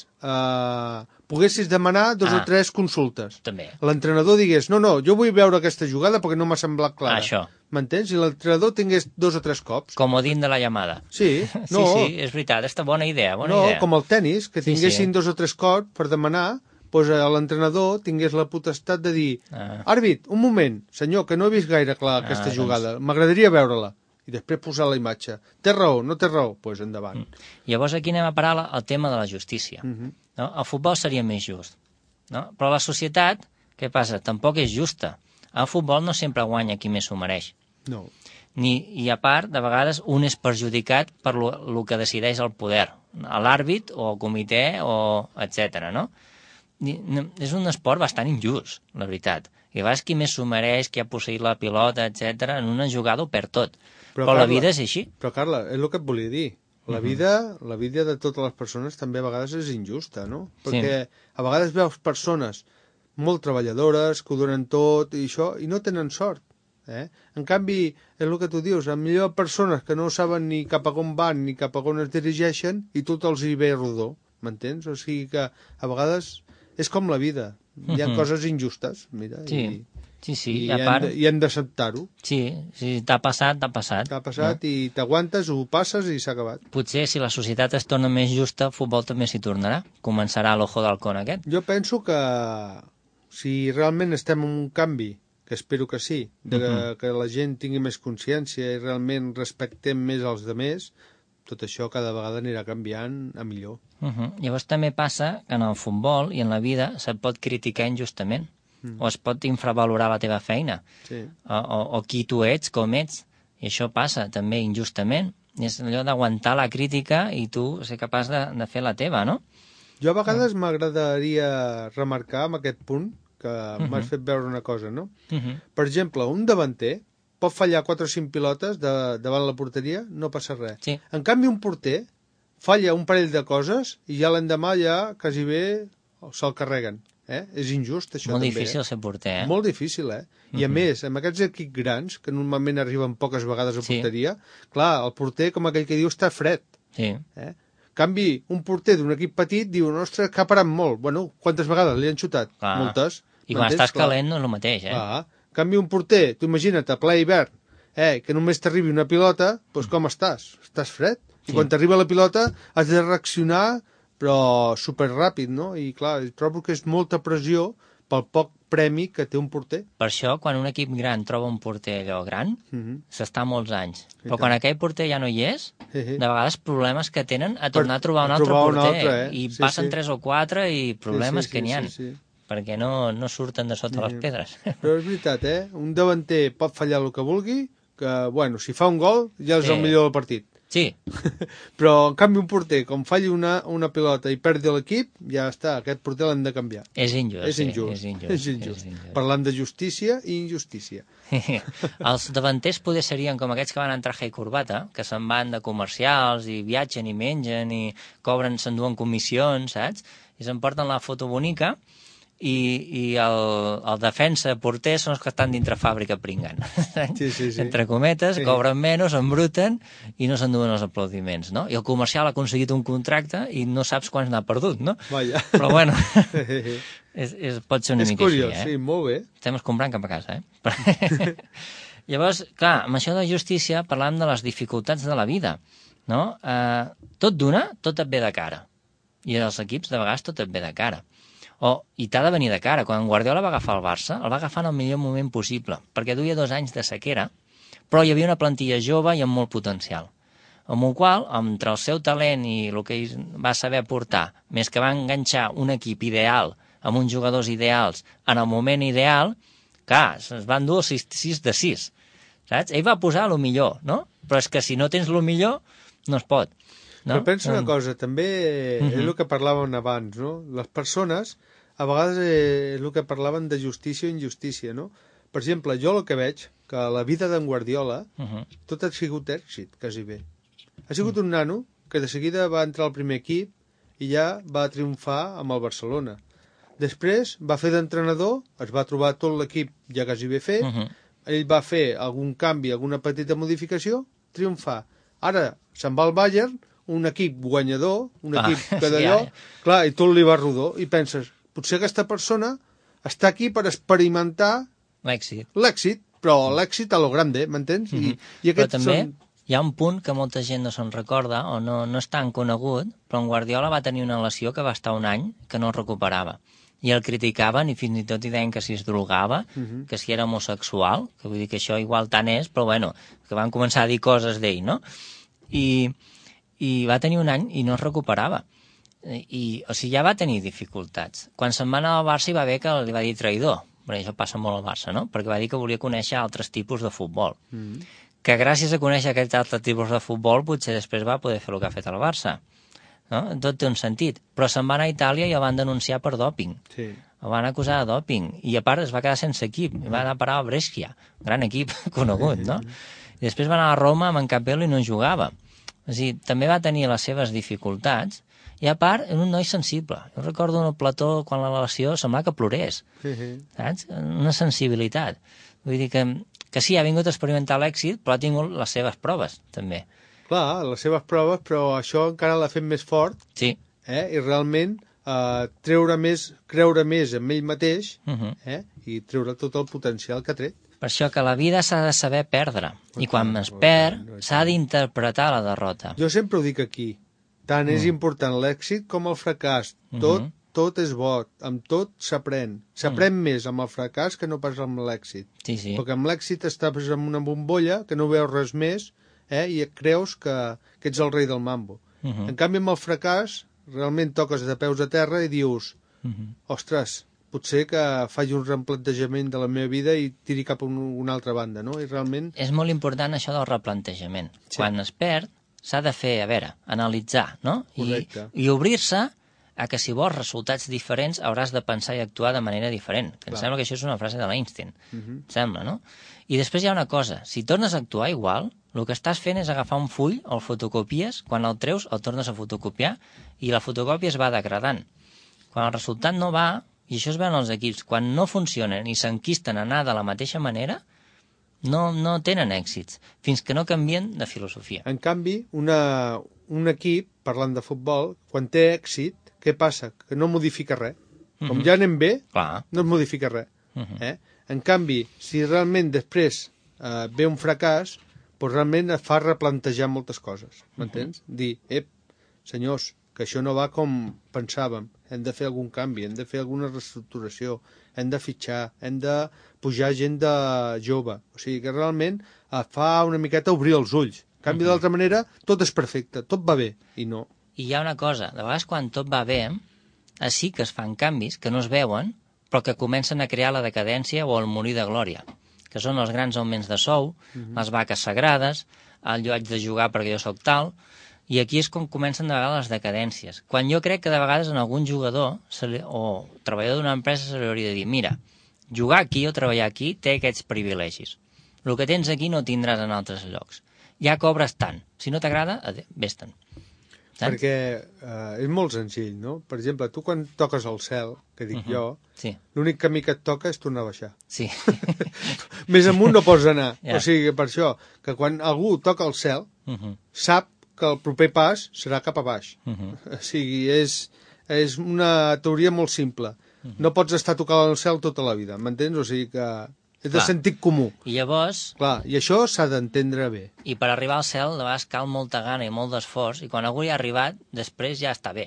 poguessis demanar 2 o 3 consultes. També. L'entrenador digués, no, jo vull veure aquesta jugada perquè no m'ha semblat clara. Això. M'entens? I l'entrenador tingués 2 o 3 cops. Comodín de la llamada. Sí, no. Sí, és veritat, és bona idea, com el tennis, que tinguessin 2 o 3 cops per demanar, doncs l'entrenador tingués la potestat de dir, àrbit, un moment, senyor, que no he vist gaire clar aquesta jugada, m'agradaria veure-la. I després posar la imatge. Té raó, no té raó? Doncs endavant. Llavors aquí anem a parar al tema de la justícia. No? El futbol seria més just. No? Però la societat, què passa? Tampoc és justa. El futbol no sempre guanya qui més s'ho mereix. No. I a part, de vegades, un és perjudicat per el que decideix el poder. L'àrbit o el comitè, etc. No? És un esport bastant injust, la veritat. I a vegades qui més s'ho mereix, qui ha posseït la pilota, etc. en una jugada ho perd tot. Però Carla, la vida és així. Però, Carla, és el que et volia dir. La vida de totes les persones també a vegades és injusta, no? Perquè a vegades veus persones molt treballadores, que ho donen tot i això, i no tenen sort. En canvi, és el que tu dius, millor persones que no saben ni cap a on van ni cap a on es dirigeixen i tot els hi ve rodó, m'entens? O sigui que a vegades és com la vida. Hi ha coses injustes, mira, i hem d'acceptar-ho. Sí, t'ha passat, t'ha passat. T'ha passat i t'aguantes, ho passes i s'ha acabat. Potser si la societat es torna més justa, el futbol també s'hi tornarà. Començarà l'ojo d'halcón aquest. Jo penso que si realment estem en un canvi, que espero que sí, que la gent tingui més consciència i realment respectem més els demés, tot això cada vegada anirà canviant a millor. Llavors també passa que en el futbol i en la vida se't pot criticar injustament. O es pot infravalorar la teva feina, o qui tu ets, com ets, i això passa també injustament. És allò d'aguantar la crítica i tu ser capaç de fer la teva, no? Jo a vegades m'agradaria remarcar amb aquest punt que m'has fet veure una cosa, no? Per exemple, un davanter pot fallar 4 o 5 pilotes davant la porteria, no passa res. En canvi, un porter falla un parell de coses i ja l'endemà ja quasi bé se'l carreguen. És injust, això molt també. Molt difícil ser porter, Molt difícil, I a més, amb aquests equips grans, que normalment arriben poques vegades a porteria, clar, el porter, com aquell que diu, està fred. En canvi, un porter d'un equip petit diu, ostres, que ha parat molt. Bueno, quantes vegades li han xutat? Moltes. I quan estàs calent no és el mateix, En canvi, un porter, tu imagina't, a ple hivern, que només t'arribi una pilota, doncs com estàs? Estàs fred. I quan t'arriba la pilota has de reaccionar però superràpid, no? I clar, trobo que és molta pressió pel poc premi que té un porter. Per això, quan un equip gran troba un porter allò gran, s'està molts anys. Però quan aquell porter ja no hi és, de vegades problemes que tenen a tornar a trobar un altre porter. I passen 3 o 4 i problemes que n'hi ha. Perquè no surten de sota les pedres. Però és veritat, un davanter pot fallar el que vulgui, que, bueno, si fa un gol ja és el millor del partit. Sí. Però, en canvi, un porter, com falli una pilota i perdi l'equip, ja està, aquest porter l'hem de canviar. És injust. És injust. Parlant de justícia i injustícia. Els davanters poder serien com aquests que van en traje i corbata, que se'n van de comercials i viatgen i mengen i s'enduen comissions, saps? I s'emporten la foto bonica i el defensa porter són els que estan dintre fàbrica pringant. Sí. Entre cometes, cobren menys, s'embruten i no s'enduen els aplaudiments, no? I el comercial ha aconseguit un contracte i no saps quants n'ha perdut, no? Vaja. Però bueno, pot ser una mica curiós, així, sí, molt bé. Estem comprant cap a casa, Llavors, clar, amb això de justícia parlàvem de les dificultats de la vida, no? Tot d'una, tot et ve de cara. I als equips, de vegades, tot et ve de cara. I t'ha de venir de cara. Quan Guardiola va agafar el Barça, el va agafar en el millor moment possible, perquè duia 2 anys de sequera, però hi havia una plantilla jove i amb molt potencial. Amb el qual, entre el seu talent i el que ell va saber aportar, més que va enganxar un equip ideal, amb uns jugadors ideals, en el moment ideal, clar, es van dur 6 de 6. Saps? Ell va posar el millor, no? Però és que si no tens el millor, no es pot. No? Però pensa una cosa, també és el que parlàvem abans, no? Les persones, a vegades és el que parlaven de justícia o injustícia, no? Per exemple, jo el que veig, que la vida d'en Guardiola, tot ha sigut èxit, quasi bé. Ha sigut un nano que de seguida va entrar al primer equip i ja va triomfar amb el Barcelona. Després va fer d'entrenador, es va trobar tot l'equip ja quasi bé fet, ell va fer algun canvi, alguna petita modificació, triomfar. Ara se'n va al Bayern, un equip guanyador, un equip que d'allò, clar, i tot li va rodó, i penses, potser aquesta persona està aquí per experimentar l'èxit, però l'èxit a lo grande, m'entens? I però també hi ha un punt que molta gent no se'n recorda, o no és tan conegut, però en Guardiola va tenir una lesió que va estar un any que no es recuperava. I el criticaven i fins i tot hi deien que si es drogava, que si era homosexual, que vull dir que això igual tant és, però bueno, que van començar a dir coses d'ell, no? I va tenir un any i no es recuperava. O sigui, ja va tenir dificultats. Quan se'n va anar al Barça hi va haver que li va dir traïdor. Perquè això passa molt al Barça, no? Perquè va dir que volia conèixer altres tipus de futbol. Que gràcies a conèixer aquests altres tipus de futbol potser després va poder fer el que ha fet el Barça. No? Tot té un sentit. Però se'n va anar a Itàlia i el van denunciar per dòping. Sí. El van acusar de dòping. I a part es va quedar sense equip. I va anar a parar al Brescia. Gran equip conegut, no? I després va anar a Roma amb en Capello i no jugava. O sigui, també va tenir les seves dificultats i a part era un noi sensible. Jo recordo en el plató quan la relació semblava que plorés, saps? Una sensibilitat. Vull dir que sí, ha vingut a experimentar l'èxit, però ha tingut les seves proves, també. Clar, les seves proves, però això encara l'ha fet més fort, sí. I realment creure més en ell mateix i treure tot el potencial que ha tret. Per això que la vida s'ha de saber perdre, i quan es perd s'ha d'interpretar la derrota. Jo sempre ho dic aquí, tant és important l'èxit com el fracàs, tot és bo, amb tot s'aprèn. S'aprèn més amb el fracàs que no pas amb l'èxit. Sí. Perquè amb l'èxit estàs en una bombolla que no veus res més i creus que ets el rei del mambo. En canvi, amb el fracàs, realment toques de peus a terra i dius, ostres, potser que faci un replantejament de la meva vida i tiri cap a una altra banda, no? I realment... És molt important això del replantejament. Sí. Quan es perd, s'ha de fer, analitzar, no? I obrir-se a que si vols resultats diferents hauràs de pensar i actuar de manera diferent. Em sembla que això és una frase de l'Einstein. Em sembla, no? I després hi ha una cosa. Si tornes a actuar igual, el que estàs fent és agafar un full, el fotocopies, quan el treus el tornes a fotocopiar i la fotocòpia es va degradant. Quan el resultat no va, i això es veu en els equips, quan no funcionen i s'enquisten a anar de la mateixa manera, no tenen èxits, fins que no canvien de filosofia. En canvi, un equip, parlant de futbol, quan té èxit, què passa? Que no modifica res. Com ja anem bé, no es modifica res. En canvi, si realment després ve un fracàs, doncs realment et fa replantejar moltes coses. M'entens? Dir, senyors, que això no va com pensàvem, hem de fer algun canvi, hem de fer alguna reestructuració, hem de fitxar, hem de pujar gent de jove. O sigui que realment fa una miqueta obrir els ulls. En canvi, d'altra manera, tot és perfecte, tot va bé, i no. I hi ha una cosa, de vegades quan tot va bé, sí que es fan canvis que no es veuen, però que comencen a crear la decadència o el morir de glòria, que són els grans augments de sou, les vaques sagrades, el jo haig de jugar perquè jo sóc tal, i aquí és com comencen de vegades les decadències. Quan jo crec que de vegades en algun jugador o treballador d'una empresa se li hauria de dir, mira, jugar aquí o treballar aquí té aquests privilegis. El que tens aquí no tindràs en altres llocs. Ja cobres tant. Si no t'agrada, vés-te'n. Perquè és molt senzill, no? Per exemple, tu quan toques el cel, que dic jo, l'únic camí que et toca és tornar a baixar. Sí. Més amunt no pots anar. O sigui, per això, que quan algú toca el cel, sap que el proper pas serà cap a baix. O sigui, és una teoria molt simple. No pots estar tocant el cel tota la vida, m'entens? O sigui que és de sentit comú. I llavors... Clar, i això s'ha d'entendre bé. I per arribar al cel, de vegades cal molta gana i molt d'esforç, i quan algú hi ha arribat, després ja està bé.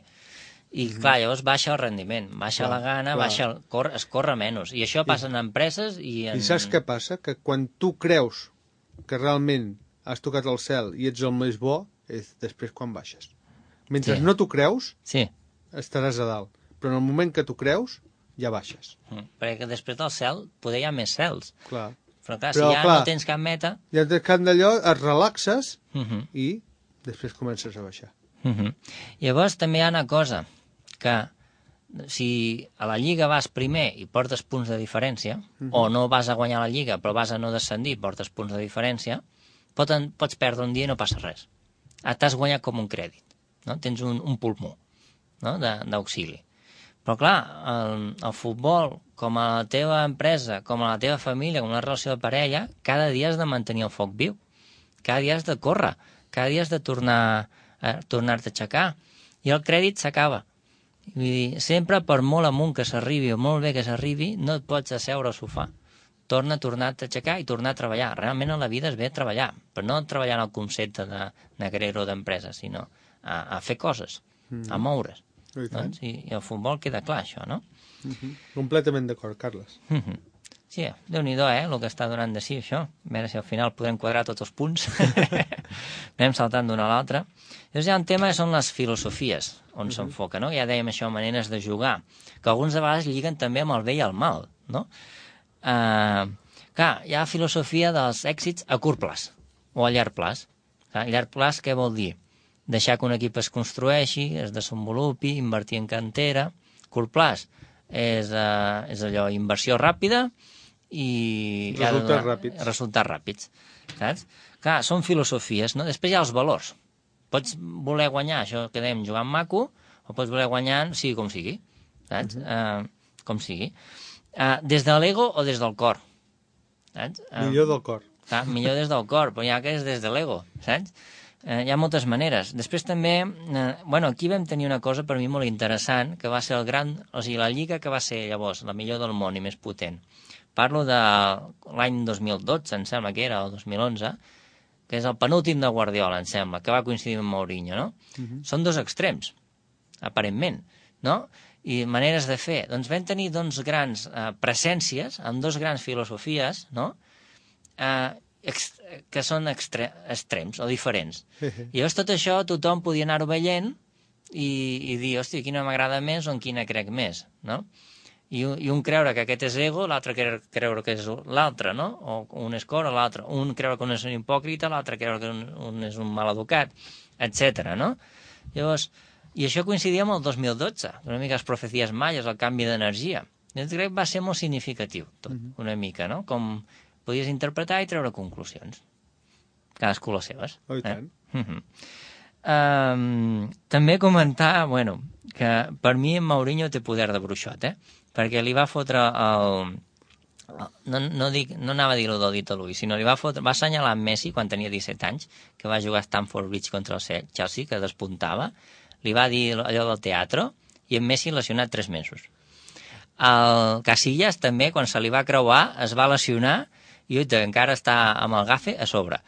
I clar, llavors baixa el rendiment, baixa la gana, es corre menys. I això passa en empreses i en... I saps què passa? Que quan tu creus que realment has tocat el cel i ets el més bo, és després quan baixes. Mentre no t'ho creus, estaràs a dalt. Però en el moment que t'ho creus, ja baixes. Perquè després del cel poder hi ha més cels. Clar. Però clar, si ja no tens cap meta... Ja tens cap d'allò, et relaxes i després comences a baixar. Llavors també hi ha una cosa, que si a la Lliga vas primer i portes punts de diferència, o no vas a guanyar la Lliga però vas a no descendir i portes punts de diferència, pots perdre un dia i no passa res. T'has guanyat com un crèdit, no? Tens un pulmó, no? d'auxili. Però clar, el futbol, com a la teva empresa, com a la teva família, com una relació de parella, cada dia has de mantenir el foc viu. Cada dia has de córrer, cada dia has de tornar-te a aixecar. I el crèdit s'acaba. Vull dir, sempre per molt amunt que s'arribi o molt bé que s'arribi, no et pots asseure al sofà. Tornar a aixecar i tornar a treballar. Realment a la vida és bé treballar, però no treballar en el concepte de negrero d'empresa, sinó a fer coses, a moure's. Doncs, i el futbol queda clar, això, no? Completament d'acord, Carles. Sí, Déu-n'hi-do, el que està donant de si, això. A veure si al final podem quadrar tots els punts. Anem saltant d'una a l'altra. Llavors hi ha un tema que són les filosofies, on s'enfoca, no? Ja dèiem això, maneres de jugar, que alguns de vegades lliguen també amb el bé i el mal, no? Clar, hi ha filosofia dels èxits a curt plaç, o a llarg plaç. A llarg plaç què vol dir? Deixar que un equip es construeixi, es desenvolupi, invertir en cantera. Curt plaç és allò, inversió ràpida i... Resultats ràpids. Saps? Clar, són filosofies, no? Després hi ha els valors. Pots voler guanyar, això que dèiem, jugant maco, o pots voler guanyar sigui com sigui. Saps? Com sigui. Des de l'ego o des del cor. Saps? Millor del cor. Clar, millor des del cor, però ja que és des de l'ego, saps? Hi ha moltes maneres. Després també, aquí vam tenir una cosa per mi molt interessant, que va ser la lliga que va ser llavors la millor del món i més potent. Parlo de l'any 2012, em sembla que era, o 2011, que és el penúltim de Guardiola, em sembla, que va coincidir amb Mourinho, no? Són dos extrems, aparentment, no? I maneres de fer. Doncs vam tenir dos grans presències, amb dos grans filosofies, no? Que són extrems o diferents. I llavors tot això tothom podia anar-ho veient i dir, hòstia, quina m'agrada més o en quina crec més, no? I un creure que aquest és ego, l'altre creure que és l'altre, no? O un és cor o l'altre. Un creure que un és un hipòcrita, l'altre creure que un és un maleducat, etc. no? Llavors, i això coincidia amb el 2012, una mica les profecies maies, el canvi d'energia. Jo crec que va ser molt significatiu, tot, una mica, no? Com podies interpretar i treure conclusions. Cadascú les seves. Oh, i tant. També comentar, que per mi en Mourinho té poder de bruixot, perquè li va fotre el... No anava a dir-ho del dit a l'ull, sinó va assenyalar en Messi quan tenia 17 anys, que va jugar a Stamford Bridge contra el Chelsea, que despuntava, li va dir allò del teatre, i en Messi lesionat 3 mesos. El Casillas també, quan se li va creuar, es va lesionar i encara està amb el gafe a sobre,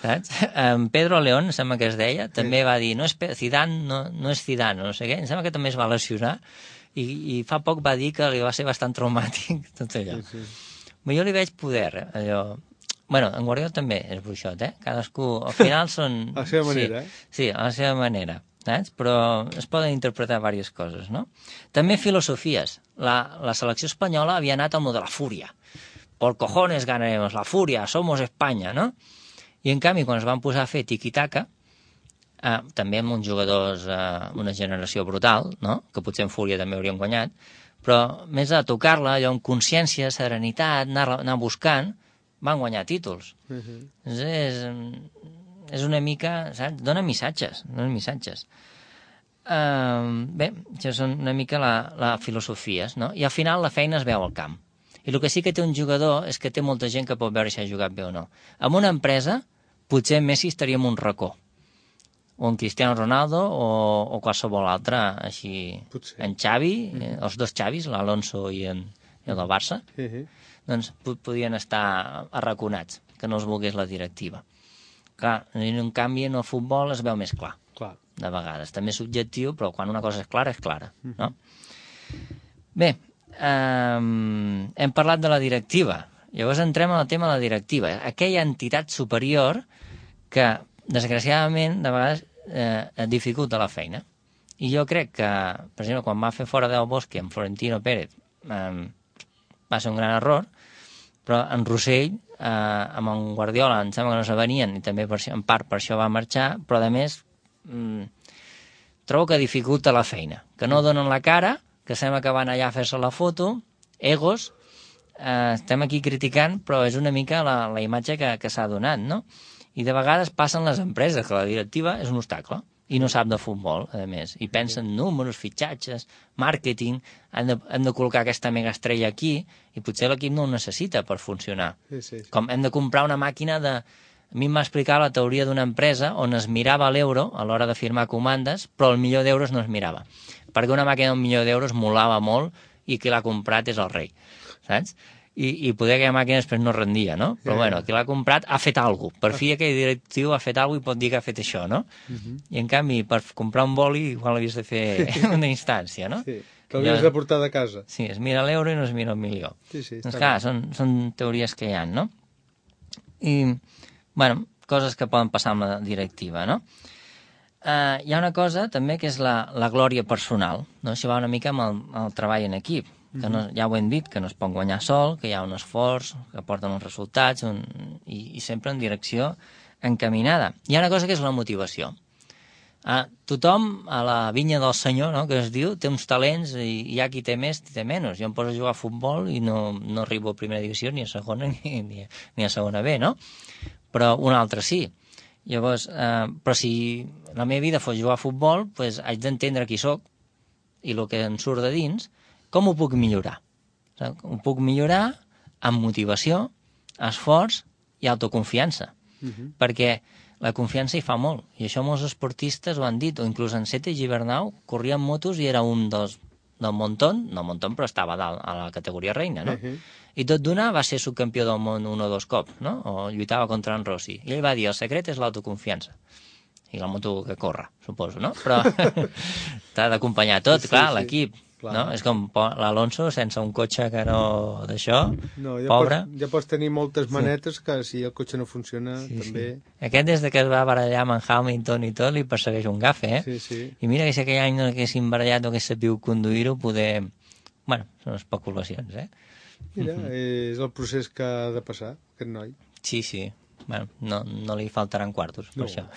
saps? Pedro León, sembla que es deia, també va dir, no és Zidane, no sé què, em sembla que també es va lesionar i fa poc va dir que li va ser bastant traumàtic tot allò. Però jo li veig poder, allò... En Guardiola també és bruixot, Cadascú, al final són... A la seva manera, Sí, a la seva manera, saps? Però es poden interpretar diverses coses, no? També filosofies. La selecció espanyola havia anat al mode de la fúria. Por cojones ganaremos, la furia, somos Espanya, no? I en canvi, quan es van posar a fer tiki-taka, també amb uns jugadors, una generació brutal, no? Que potser en fúria també haurien guanyat, però més a tocar-la, allò amb consciència, serenitat, anar buscant, van guanyar títols. És una mica, saps? Dona missatges. Bé, això és una mica la filosofia, no? I al final la feina es veu al camp. I el que sí que té un jugador és que té molta gent que pot veure si ha jugat bé o no. En una empresa, potser Messi estaria en un racó, o en Cristiano Ronaldo, o qualsevol altre, així. Potser. En Xavi, els dos Xavis, l'Alonso i el del Barça, doncs podien estar arraconats, que no els volgués la directiva. Clar, en canvi, en el futbol es veu més clar. De vegades. També és subjectiu, però quan una cosa és clara, no? Bé, hem parlat de la directiva. Llavors entrem en el tema de la directiva. Aquella entitat superior que, desgraciadament, de vegades et dificulta la feina. I jo crec que, per exemple, quan va fer fora del Bosque amb Florentino Pérez, va ser un gran error, però en Rossell, amb en Guardiola, em sembla que no s'avenien, i també en part per això va marxar, però a més trobo que dificulta la feina, que no donen la cara, que sembla que van allà a fer-se la foto, egos, estem aquí criticant, però és una mica la imatge que s'ha donat, no? I de vegades passen les empreses, que la directiva és un obstacle, i no sap de futbol, a més, i pensen números, fitxatges, màrqueting, hem de col·locar aquesta megaestrella aquí, i potser l'equip no ho necessita per funcionar. Com hem de comprar una màquina de... A mi em va explicar la teoria d'una empresa on es mirava l'euro a l'hora de firmar comandes, però el milió d'euros no es mirava. Perquè una màquina d'un milió d'euros molava molt i qui l'ha comprat és el rei, saps? I poder aquella màquina després no rendia, no? Però bueno, qui l'ha comprat ha fet alguna cosa. Per fi aquell directiu ha fet alguna cosa i pot dir que ha fet això, no? I en canvi, per comprar un boli igual l'havies de fer en una instància, no? Sí, que l'havies de portar de casa. Sí, es mira l'euro i no es mira el milió. Doncs clar, són teories que hi ha, no? I... bueno, coses que poden passar amb la directiva, no? Hi ha una cosa també que és la glòria personal, no? Això va una mica amb el treball en equip, que no, ja ho hem dit, que no es pot guanyar sol, que hi ha un esforç, que porten uns resultats i sempre en direcció encaminada. Hi ha una cosa que és la motivació. Tothom a la vinya del senyor, no?, que es diu, té uns talents i hi ha qui té més, qui té menys. Jo em poso a jugar a futbol i no arribo a primera divisió ni a segona ni a segona B, no? Però un altre sí. Llavors, però si la meva vida fos jugar a futbol, doncs haig d'entendre qui sóc i el que em surt de dins, com ho puc millorar? Ho puc millorar amb motivació, esforç i autoconfiança. Perquè la confiança hi fa molt. I això molts esportistes ho han dit, o inclús en Sete Gibernau corria amb motos i era un del Montón, però estava dalt a la categoria reina, no? I tot d'una va ser subcampió del món 1 o 2 cops, no? O lluitava contra en Rossi. I ell va dir, el secret és l'autoconfiança. I la moto que corre, suposo, no? Però t'ha d'acompanyar tot, clar, l'equip. No? És com l'Alonso sense un cotxe que no... d'això, pobre. Ja pots tenir moltes manetes que si el cotxe no funciona també... Aquest des que es va barallar amb en Hamilton i tot li persegueix un gafe, I mira que si aquell any no haguessin barallat o hagués sabut conduir-ho, poder... Bueno, són especulacions, Mira, és el procés que ha de passar, aquest noi. Sí. Bueno, no li faltaran quartos, per això.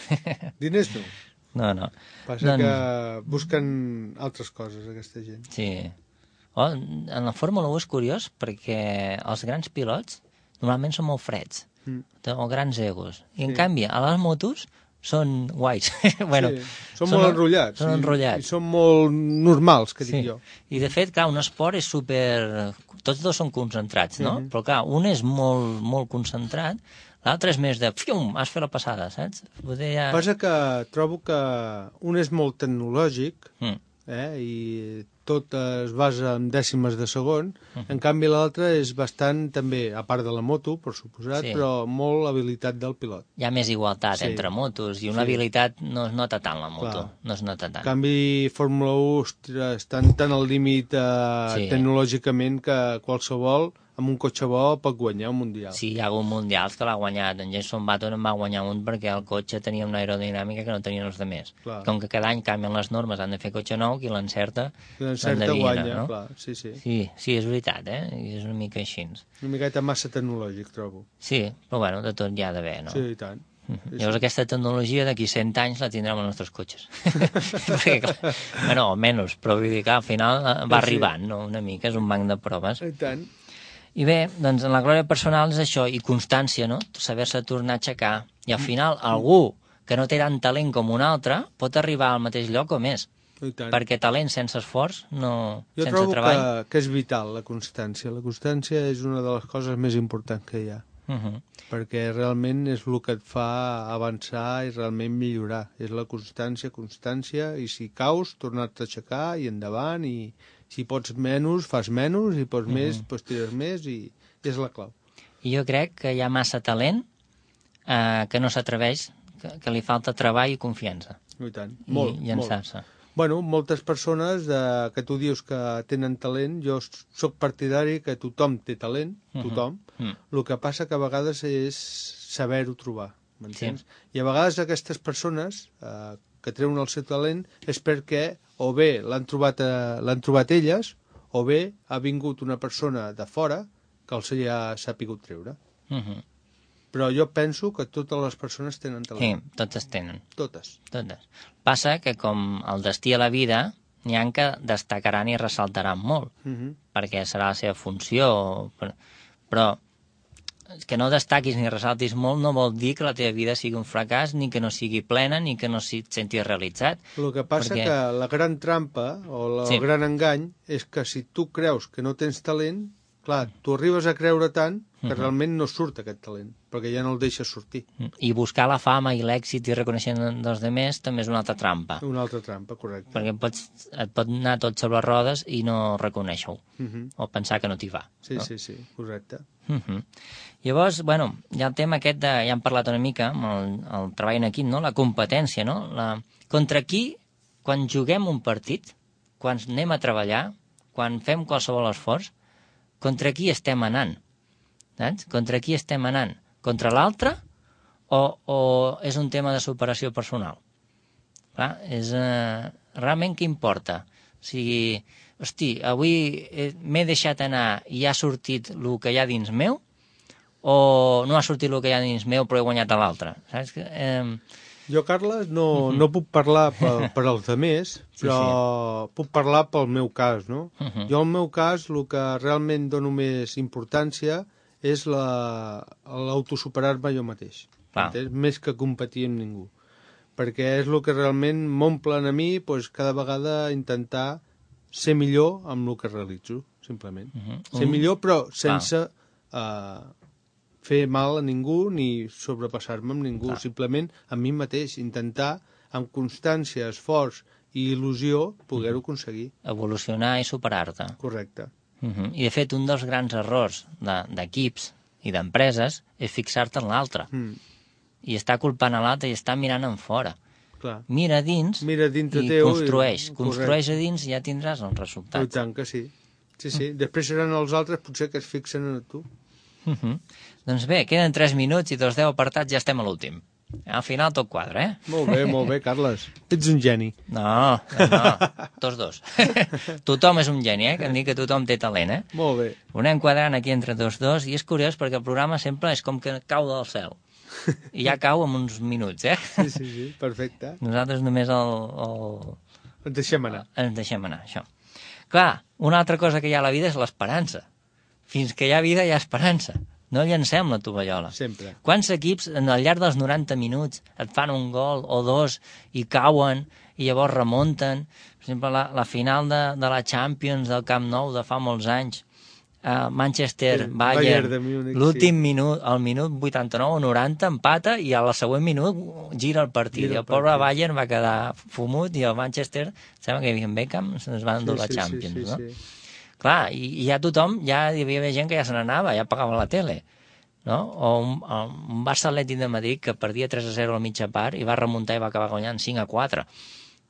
Diners no. No. Passa que busquen altres coses, aquesta gent. Sí. En la Fórmula 1 és curiós perquè els grans pilots normalment són molt freds, o grans egos. I en canvi, a les motos són guais. Bueno, són molt enrotllats. Són enrotllats. I són molt normals, que dic jo. I de fet, clar, un esport és super... Tots dos són concentrats, no? Però clar, un és molt, molt concentrat, l'altre és més de... Fium, has fet la passada, saps? Passa que trobo que un és molt tecnològic, i tot es basa en dècimes de segon, en canvi l'altre és bastant també, a part de la moto, per suposat, però molt habilitat del pilot. Hi ha més igualtat entre motos i una habilitat no es nota tant la moto, no es nota tant. En canvi, Fórmula 1, ostres, estan tan al límit tecnològicament que qualsevol amb un cotxe bo pot guanyar un mundial. Sí, hi ha hagut mundials que l'ha guanyat. En Jenson Button en va guanyar un perquè el cotxe tenia una aerodinàmica que no tenien els altres. Com que cada any canvien les normes, han de fer cotxe nou, qui l'encerta guanya, no? Clar, sí. Sí, és veritat, és una mica així. Una miqueta massa tecnològic, trobo. Sí, però bueno, de tot hi ha d'haver, no? Sí, i tant. Llavors aquesta tecnologia d'aquí 100 anys la tindrem als nostres cotxes. Perquè, clar, bueno, almenys, però vull dir que al final va arribant, no? Una mica, és un banc de proves. I tant. I bé, doncs en la glòria personal és això, i constància, no? Saber-se tornar a aixecar. I al final algú que no té tant talent com un altre pot arribar al mateix lloc o més. perquè talent sense esforç, no, jo sense trobo treball... que és vital la constància. La constància és una de les coses més importants que hi ha. Perquè realment és el que et fa avançar i realment millorar. És la constància, i si caus, tornar-te a aixecar i endavant, i si pots menys, fas menys, i pots més, doncs tires més, i és la clau. I jo crec que hi ha massa talent que no s'atreveix, que li falta treball i confiança. I tant, molt, i llançar-se. Bueno, moltes persones que tu dius que tenen talent, jo sóc partidari que tothom té talent, tothom. El que passa que a vegades és saber-ho trobar, m'entens? Sí. I a vegades aquestes persones que treuen el seu talent és perquè o bé l'han trobat elles, o bé ha vingut una persona de fora que els ha sapigut treure. Però jo penso que totes les persones tenen talent. Sí, totes tenen. Totes. Passa que com el destí a la vida, n'hi ha que destacaran i ressaltaran molt, perquè serà la seva funció, però que no destaquis ni ressaltis molt no vol dir que la teva vida sigui un fracàs, ni que no sigui plena, ni que no et sentis realitzat. El que passa que la gran trampa o el gran engany és que si tu creus que no tens talent, clar, tu arribes a creure tant que realment no surt aquest talent, perquè ja no el deixes sortir. I buscar la fama i l'èxit i reconeixement dels demés també és una altra trampa. Una altra trampa, correcte. Perquè et pot anar tot sobre rodes i no reconèixer-ho, o pensar que no t'hi va. Sí, no? Sí, correcte. Llavors, bueno, hi ha el tema aquest ja hem parlat una mica amb el treball en equip, no? La competència, no? Contra qui, quan juguem un partit, quan anem a treballar, quan fem qualsevol esforç, contra qui estem anant? Saps? Contra qui estem anant? Contra l'altre o és un tema de superació personal? Clar, realment què importa? O sigui, hosti, avui m'he deixat anar i ha sortit el que hi ha dins meu, o no ha sortit el que hi ha dins meu però he guanyat a l'altre? Saps? Jo, Carles, no puc parlar per als altres, però puc parlar pel meu cas, no? Jo, al meu cas, el que realment dono més importància és l'autosuperar-me jo mateix. Més que competir amb ningú. Perquè és el que realment m'omplen a mi, cada vegada intentar ser millor amb el que realitzo, simplement. Ser millor, però sense fer mal a ningú ni sobrepassar-me amb ningú, simplement a mi mateix, intentar amb constància, esforç i il·lusió poder-ho aconseguir. Evolucionar i superar-te. Correcte. I de fet un dels grans errors d'equips i d'empreses és fixar-te en l'altre i estar culpant a l'altre i estar mirant en fora. Clar. Mira dins i construeix a dins i ja tindràs els resultats. I tant que sí. Sí. Després seran els altres potser que es fixen en tu. Doncs bé, queden 3 minuts i dels 10 apartats ja estem a l'últim. Al final tot quadra, Molt bé, Carles. Ets un geni. No, tots dos. Tothom és un geni, que em dic que tothom té talent, Molt bé. Ho anem quadrant aquí entre tots dos i és curiós perquè el programa sempre és com que cau del cel. I ja cau en uns minuts, Sí, perfecte. Nosaltres només Ens deixem anar. Ens deixem anar, això. Clar, una altra cosa que hi ha a la vida és l'esperança. Fins que hi ha vida hi ha esperança. No llancem la tovallola. Sempre. Quants equips al llarg dels 90 minuts et fan un gol o dos i cauen i llavors remunten? Per exemple, la final de la Champions del Camp Nou de fa molts anys, Manchester-Bayern, l'últim minut, al minut 89 o 90 empata i al següent minut gira el partit. I el pobre Bayern va quedar fumut i el Manchester, sembla que hi havia Beckham, se'ns van endur la Champions, no? Clar, i ja tothom, ja hi havia gent que ja se n'anava, ja pagava la tele, no? O un Barça Atlètic de Madrid que perdia 3-0 a mitja part i va remuntar i va acabar guanyant 5-4,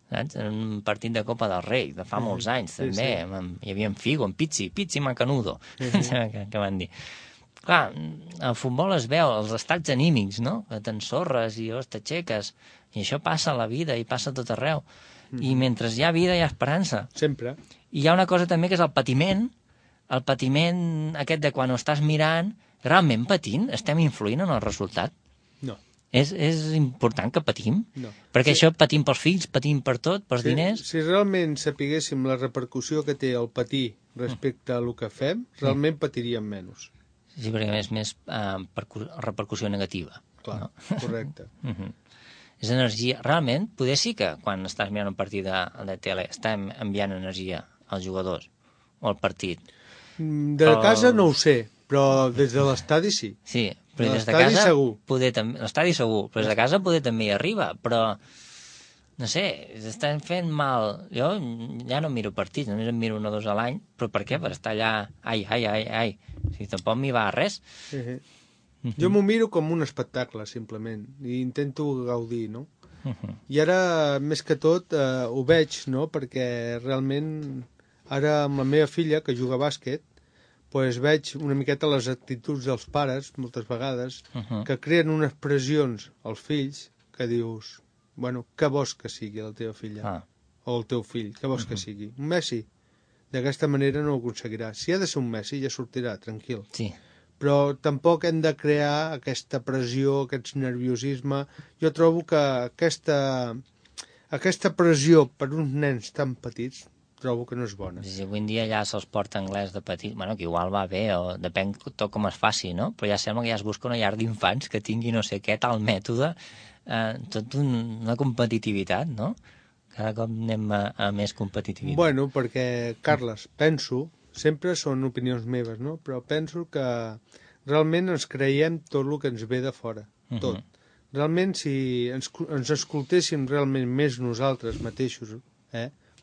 saps? En un partit de Copa del Rei, de fa molts anys, també. Hi havia en Figo, en Pizzi Macanudo, que van dir. Clar, el futbol es veu, els estats anímics, no? Que t'ensorres i t'aixeques, i això passa a la vida i passa a tot arreu. I mentre hi ha vida hi ha esperança. Sempre. I hi ha una cosa també que és el patiment aquest de quan ho estàs mirant, realment patint, estem influint en el resultat? No. És important que patim? No. Perquè això patim pels fills, patim per tot, pels diners? Si realment sapiguéssim la repercussió que té el patir respecte a el que fem, realment patiríem menys. Sí, perquè és més repercussió negativa. Clar, no? Correcte. És energia. Realment, poder sí que quan estàs mirant un partit de tele estem enviant energia als jugadors o al partit. De casa no ho sé, però des de l'estadi sí. Sí, però des de l'estadi casa... segur. L'estadi segur, però des de casa poder també hi arriba, però... No sé, estan fent mal. Jo ja no miro partits, només em miro 1 o 2 a l'any, però per què? Per estar allà... Ai. Si tampoc m'hi va res. Jo m'ho miro com un espectacle, simplement, i intento gaudir, no? I ara, més que tot, ho veig, no? Perquè realment, ara amb la meva filla, que juga a bàsquet, pues veig una miqueta les actituds dels pares, moltes vegades, que creen unes pressions als fills que dius... Bueno, què vols que sigui la teva filla? O el teu fill, què vols que sigui? Un Messi? D'aquesta manera no ho aconseguirà. Si ha de ser un Messi, ja sortirà, tranquil. Sí. Però tampoc hem de crear aquesta pressió, aquest nerviosisme. Jo trobo que aquesta pressió per uns nens tan petits trobo que no és bona. Sí, avui en dia ja se'ls porta anglès de petit, bueno, que igual va bé, o depèn tot com es faci, no? Però ja sembla que ja es busca una llar d'infants que tingui no sé què, tal mètode, tot una competitivitat, no? Cada cop anem a més competitivitat. Bueno, perquè, Carles, penso, sempre són opinions meves, no? Però penso que realment ens creiem tot el que ens ve de fora, tot. Realment, si ens escoltéssim realment més nosaltres mateixos,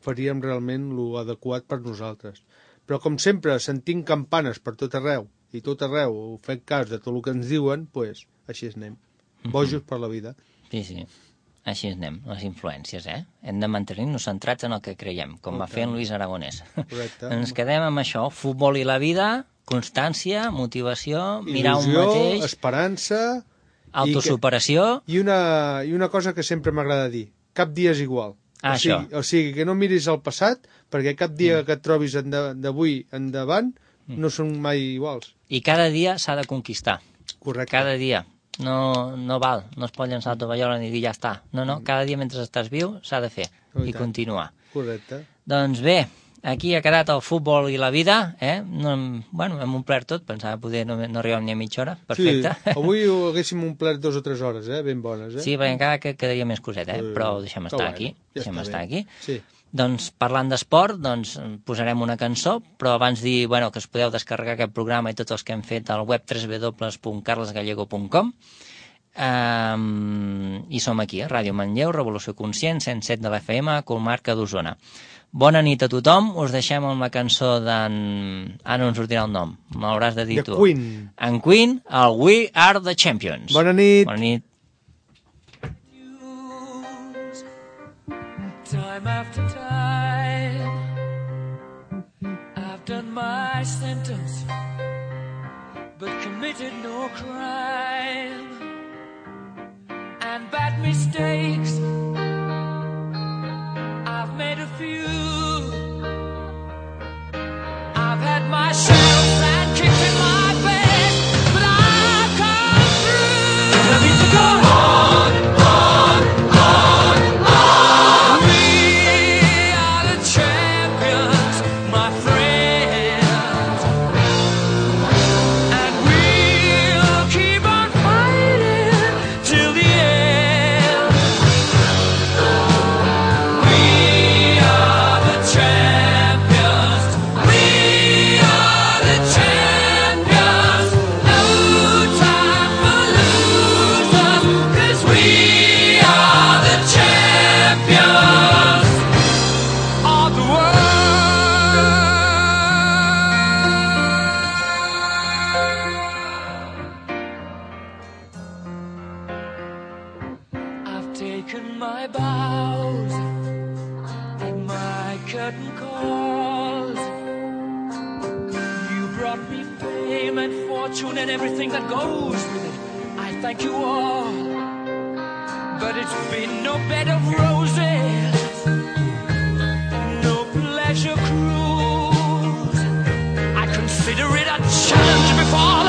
faríem realment l'adequat per nosaltres. Però, com sempre, sentim campanes per tot arreu, i tot arreu fem cas de tot el que ens diuen, doncs així anem. Bojos per la vida. Sí. Així anem, les influències, Hem de mantenir-nos centrats en el que creiem, com va fer en Luis Aragonès. Correcte. Ens quedem amb això, futbol i la vida, constància, motivació, mirar un mateix... Il·lusió, esperança... Autosuperació... I una cosa que sempre m'agrada dir, cap dia és igual. O sigui, que no miris el passat, perquè cap dia que et trobis d'avui endavant no són mai iguals. I cada dia s'ha de conquistar. Correcte. Cada dia. No val, no es pot llançar la tovallola ni dir ja està. No, cada dia mentre estàs viu s'ha de fer i continuar. Correcte. Doncs bé, aquí ha quedat el futbol i la vida, Bueno, hem omplert tot, pensava poder no arribar ni a mitja hora, perfecte. Sí, avui ho haguéssim omplert 2 o 3 hores, ben bones, Sí, perquè encara quedaria més coset, però ho deixem estar aquí. Deixem estar aquí. Sí. Doncs parlant d'esport, posarem una cançó, però abans dir que es podeu descarregar aquest programa i tots els que hem fet al web www.carlesgallego.com i som aquí, a Ràdio Manlleu, Revolució Conscient, 107 de l'FM, comarca d'Osona. Bona nit a tothom, us deixem amb la cançó d'en... no ens sortirà el nom, m'hauràs de dir tu. The Queen. En Queen, el We Are the Champions. Bona nit. Bona nit. Time after time, I've done my sentence, but committed no crime. And bad mistakes, I've made a few. I've had my share of flat kicks in my bed, but I've come through. And I need to go on. And everything that goes with it, I thank you all. But it's been no bed of roses, no pleasure cruise. I consider it a challenge before